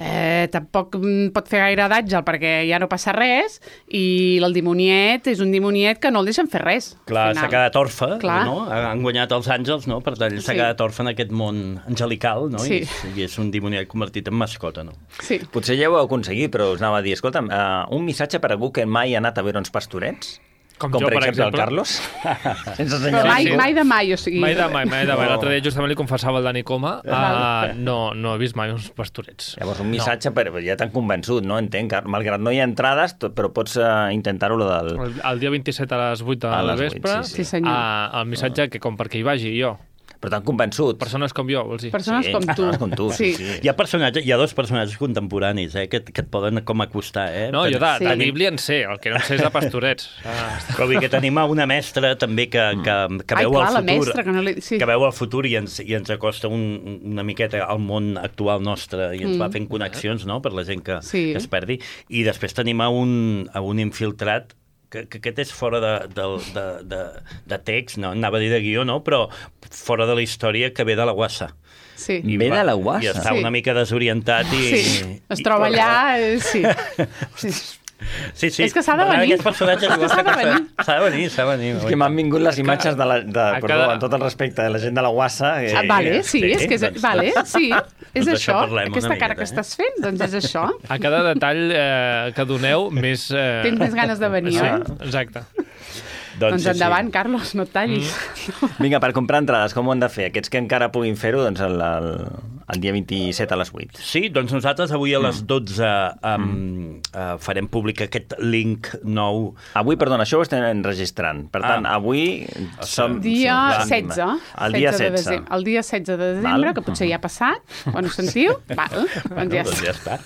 Speaker 8: eh, tampoc pot fer gaire d'Àngel perquè ja no passa res, i el dimoniet és un dimoniet que no el deixen fer res.
Speaker 10: Clar, s'ha quedat orfe, no? Han guanyat els àngels, no? Per tant, s'ha sí. quedat orfe en aquest món angelical, no?
Speaker 8: Sí.
Speaker 10: I, I és un dimoniet convertit en mascota, no?
Speaker 8: Sí.
Speaker 1: Potser ja ho heu aconseguit, però us anava a dir, escolta'm, uh, un missatge per a algú que mai ha anat a veure uns pastorets?
Speaker 2: Com,
Speaker 1: Com
Speaker 2: jo,
Speaker 1: per,
Speaker 2: per
Speaker 1: exemple,
Speaker 2: exemple,
Speaker 1: el Carlos? Sense
Speaker 8: Però mai, mai de mai, o sigui...
Speaker 2: Mai de mai, mai de mai. L'altre dia justament li confessava el Dani Coma, uh, no, no he vist mai uns pastorets.
Speaker 1: Llavors, un missatge, no. per, ja t'han convençut, no? Entenc, malgrat no hi ha entrades, tot, però pots uh, intentar-ho del...
Speaker 2: El, el dia vint-i-set a les vuit del vespre,
Speaker 1: sí, sí.
Speaker 8: Sí,
Speaker 2: uh, el missatge que com perquè hi vagi jo.
Speaker 1: Però t'han convençut.
Speaker 2: Persones com jo, vols dir?
Speaker 8: Persones
Speaker 1: sí,
Speaker 8: com tu.
Speaker 1: Persones com tu,
Speaker 8: sí.
Speaker 1: sí.
Speaker 10: Hi ha personatges, hi ha dos personatges contemporanis, eh, que, que et poden com acostar, eh?
Speaker 2: No, jo de,
Speaker 8: sí.
Speaker 2: de Bíblia en sé, el que no en sé és de pastorets. Ah.
Speaker 10: Però vull que tenim una mestra també que, que, que
Speaker 8: Ai,
Speaker 10: veu
Speaker 8: clar,
Speaker 10: el
Speaker 8: la
Speaker 10: futur,
Speaker 8: mestra, que, no li... sí.
Speaker 10: que veu el futur i ens, i ens acosta un, una miqueta al món actual nostre i ens mm. va fent connexions, no?, per la gent que,
Speaker 8: sí.
Speaker 10: que es perdi. I després tenim a un, a un infiltrat que, que aquest és fora de, de, de, de, de text, no? Anava a dir de guió, no? Però fora de la història, que ve de la Guassa.
Speaker 8: Sí.
Speaker 1: I ve de la Guassa.
Speaker 10: I està
Speaker 8: sí.
Speaker 10: una mica desorientat i...
Speaker 8: Sí, es troba
Speaker 10: i,
Speaker 8: allà, eh, sí. sí.
Speaker 10: Sí, sí.
Speaker 8: És que s'ha de venir.
Speaker 10: Aquests personatges
Speaker 8: és que s'ha de venir.
Speaker 10: S'ha de venir, s'ha de venir.
Speaker 1: És que m'han vingut les imatges de la... De, perdó, cada... amb tot el respecte de la gent de la Guassa.
Speaker 8: Eh, ah, vale, sí, sí, és que és,
Speaker 10: doncs,
Speaker 8: vale, sí, és
Speaker 10: doncs
Speaker 8: això, aquesta
Speaker 10: miqueta,
Speaker 8: cara que
Speaker 10: eh?
Speaker 8: estàs fent, doncs és això.
Speaker 2: A cada detall eh, que doneu, més... Eh...
Speaker 8: Tens més ganes de venir,
Speaker 2: sí,
Speaker 8: oi?
Speaker 2: Exacte.
Speaker 8: Doncs, doncs endavant,
Speaker 10: sí.
Speaker 8: Carlos, no et tallis.
Speaker 1: Mm. Vinga, per comprar entrades, com ho han de fer? Aquests que encara puguin fer-ho, doncs el, el, el dia vint-i-set a les vuit.
Speaker 10: Sí, doncs nosaltres avui a les dotze um, mm. uh, farem públic aquest link nou.
Speaker 1: Avui, perdona, això ho estem enregistrant. Per tant, ah. avui som...
Speaker 8: Dia
Speaker 1: som
Speaker 8: setze.
Speaker 1: El dia setze.
Speaker 8: De el dia setze de desembre, Val. Que potser ja ha passat. Quan ho sentiu? Val, doncs ja,
Speaker 10: doncs ja està.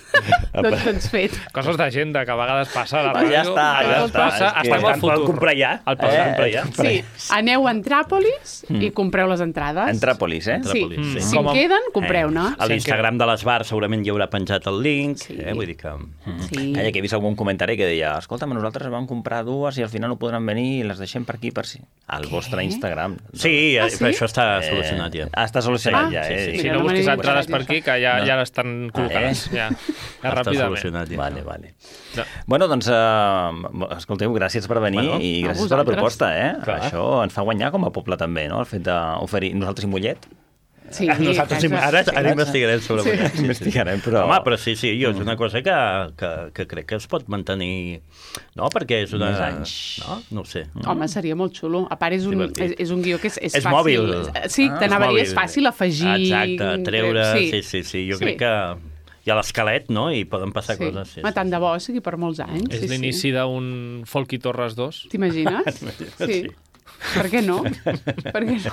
Speaker 8: doncs, doncs fet.
Speaker 2: Coses d'agenda que a vegades passa a la
Speaker 1: ràdio. Ja està, ja està.
Speaker 2: Passa, estem al futur.
Speaker 10: Comprar ja.
Speaker 2: El passat,
Speaker 10: eh, ja.
Speaker 8: Sí, aneu a Entràpolis mm. i compreu les entrades.
Speaker 1: Entràpolis, eh?
Speaker 8: Sí,
Speaker 10: Entràpolis, sí.
Speaker 8: si en queden, compreu-ne.
Speaker 10: Eh, a l'Instagram de l'Esbar segurament hi haurà penjat el link, sí. eh? Vull dir que...
Speaker 8: Sí.
Speaker 1: Calla, que he vist algun comentari que deia escolta, nosaltres vam comprar dues i al final no podran venir i les deixem per aquí, per si. Al Què? vostre Instagram.
Speaker 10: Sí,
Speaker 8: ah, sí?
Speaker 10: però això està solucionat ja.
Speaker 1: Ah, està solucionat
Speaker 8: ah,
Speaker 1: ja, eh?
Speaker 2: Sí, sí. Si no busquis entrades per aquí, que ja, no. ja l'estan col·locades. Ah, eh? Ja, ja
Speaker 10: està solucionat ja.
Speaker 1: Vale, vale. No. Bueno, doncs, uh, escolteu, gràcies per venir bueno, i gràcies per la proposta, eh? Clar. Això ens fa guanyar com a poble també, no? El fet d'oferir nosaltres i Mollet.
Speaker 8: Sí,
Speaker 10: Nosaltres ara, ara investigarem sobre
Speaker 1: sí.
Speaker 10: mullat. Sí,
Speaker 1: investigarem, però...
Speaker 10: Home, però sí, sí, jo, és una cosa que, que, que crec que es pot mantenir... No, perquè és una...
Speaker 1: Més anys.
Speaker 10: No? No ho sé.
Speaker 8: Home, seria molt xulo. A part, és un, és, és un guió que és, és,
Speaker 10: És
Speaker 8: fàcil.
Speaker 10: mòbil.
Speaker 8: Sí,
Speaker 10: Ah,
Speaker 8: t'anava a dir,
Speaker 10: és
Speaker 8: és
Speaker 10: mòbil.
Speaker 8: fàcil afegir...
Speaker 10: Exacte, treure...
Speaker 8: Sí,
Speaker 10: Sí, sí, sí. Jo
Speaker 8: Sí.
Speaker 10: crec que hi ha l'esquelet, no? I poden passar
Speaker 8: sí.
Speaker 10: coses. Sí,
Speaker 8: Home, tant de bo sigui per molts anys.
Speaker 2: És
Speaker 8: sí,
Speaker 2: l'inici
Speaker 8: sí.
Speaker 2: d'un Folky Torres dos.
Speaker 8: T'imagines? Sí. Per què no? Per què no?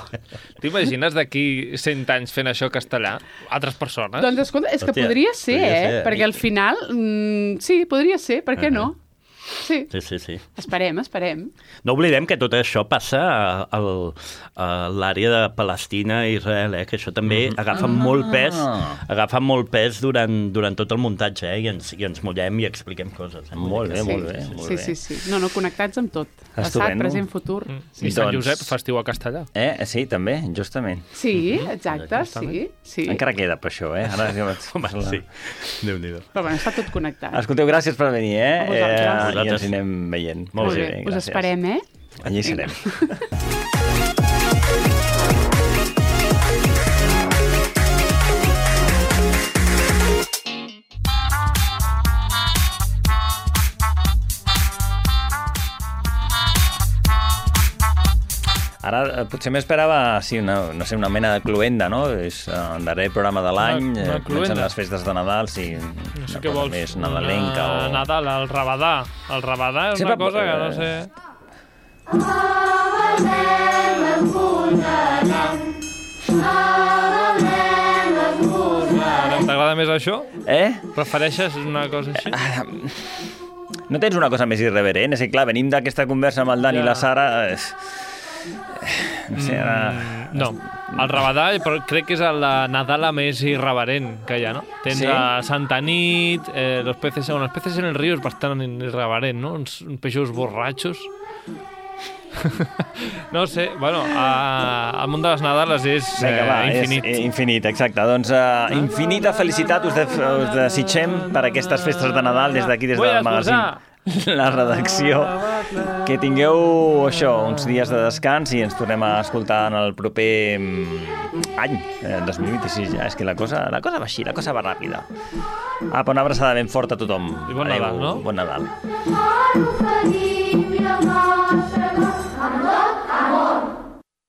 Speaker 2: T'imagines d'aquí cent anys fent això castellà? Altres persones?
Speaker 8: Doncs escolta, és que
Speaker 10: Hòstia,
Speaker 8: podria ser,
Speaker 10: podria
Speaker 8: eh?
Speaker 10: ser.
Speaker 8: Perquè al final... Mm, sí, podria ser, per què no? Sí.
Speaker 10: Sí, sí, sí.
Speaker 8: Esperem, esperem.
Speaker 10: No oblidem que tot això passa a, a, a l'àrea de Palestina i Israel, eh? Que això també
Speaker 1: Mm-hmm.
Speaker 10: agafa
Speaker 1: Ah.
Speaker 10: molt pes, agafa molt pes durant, durant tot el muntatge, eh? I ens, i ens mullem i expliquem coses. Eh?
Speaker 1: Molt bé,
Speaker 8: Sí,
Speaker 1: molt bé. Molt
Speaker 8: sí,
Speaker 1: bé.
Speaker 8: sí, sí. No, no, connectats amb tot. Passat,
Speaker 1: Estupendo.
Speaker 8: present, futur.
Speaker 2: I Sant Josep, festiu a castellà.
Speaker 1: Eh? Sí, també, justament.
Speaker 8: Sí, exacte, sí, sí.
Speaker 1: Encara queda per això, eh? Ara...
Speaker 10: Home, sí. Déu-n'hi-do.
Speaker 8: Però bueno, està tot connectat.
Speaker 1: Escolteu, gràcies per venir, eh?
Speaker 8: A vosaltres.
Speaker 1: eh
Speaker 8: A
Speaker 1: I
Speaker 10: vosaltres.
Speaker 1: ens anem veient.
Speaker 8: Molt bé, us
Speaker 1: gràcies.
Speaker 8: esperem, eh?
Speaker 1: Allí serem. Ara eh, potser m'esperava, sí, una, no sé, una mena de cluenda, no? És eh, el darrer programa de l'any,
Speaker 2: Una- una
Speaker 1: eh, comencen
Speaker 2: cluenda.
Speaker 1: les festes de Nadal, sí,
Speaker 2: No sé
Speaker 1: una
Speaker 2: què
Speaker 1: cosa
Speaker 2: vols.
Speaker 1: més nadalenca
Speaker 2: Una
Speaker 1: o...
Speaker 2: Nadal, el rabadà. El rabadà és
Speaker 1: Sempre-
Speaker 2: una cosa que no sé... T'agrada més això?
Speaker 1: Eh?
Speaker 2: Prefereixes una cosa així?
Speaker 1: No tens una cosa més irreverent? És que, clar, venim d'aquesta conversa amb el Dan
Speaker 2: Ja.
Speaker 1: i la Sara... Eh, no sé, ara...
Speaker 2: Mm, no, el rabadà però crec que és la Nadala més irreverent que hi ha, no? Tens
Speaker 1: Sí?
Speaker 2: a Santa Nit, eh, los peces, bueno, los peces en el río és bastant irreverent, no? Uns, uns peixos borratxos. No sé, bueno, a, el món de les Nadales és
Speaker 1: Vinga, va,
Speaker 2: eh, infinit.
Speaker 1: és eh, infinit, exacte. Doncs uh, infinita felicitat us, de, us desitgem per aquestes festes de Nadal des d'aquí, des
Speaker 2: Vull
Speaker 1: del magazín. La redacció. Que tingueu això, uns dies de descans i ens tornem a escoltar en el proper mm, any, eh, dos mil vint-i-sis ja. És que la cosa, la cosa va així, la cosa va ràpida. Apa, una abraçada ben forta a tothom.
Speaker 2: I bon Nadal,
Speaker 1: Adéu,
Speaker 2: no?
Speaker 1: Bon Nadal.
Speaker 11: Bon Nadal.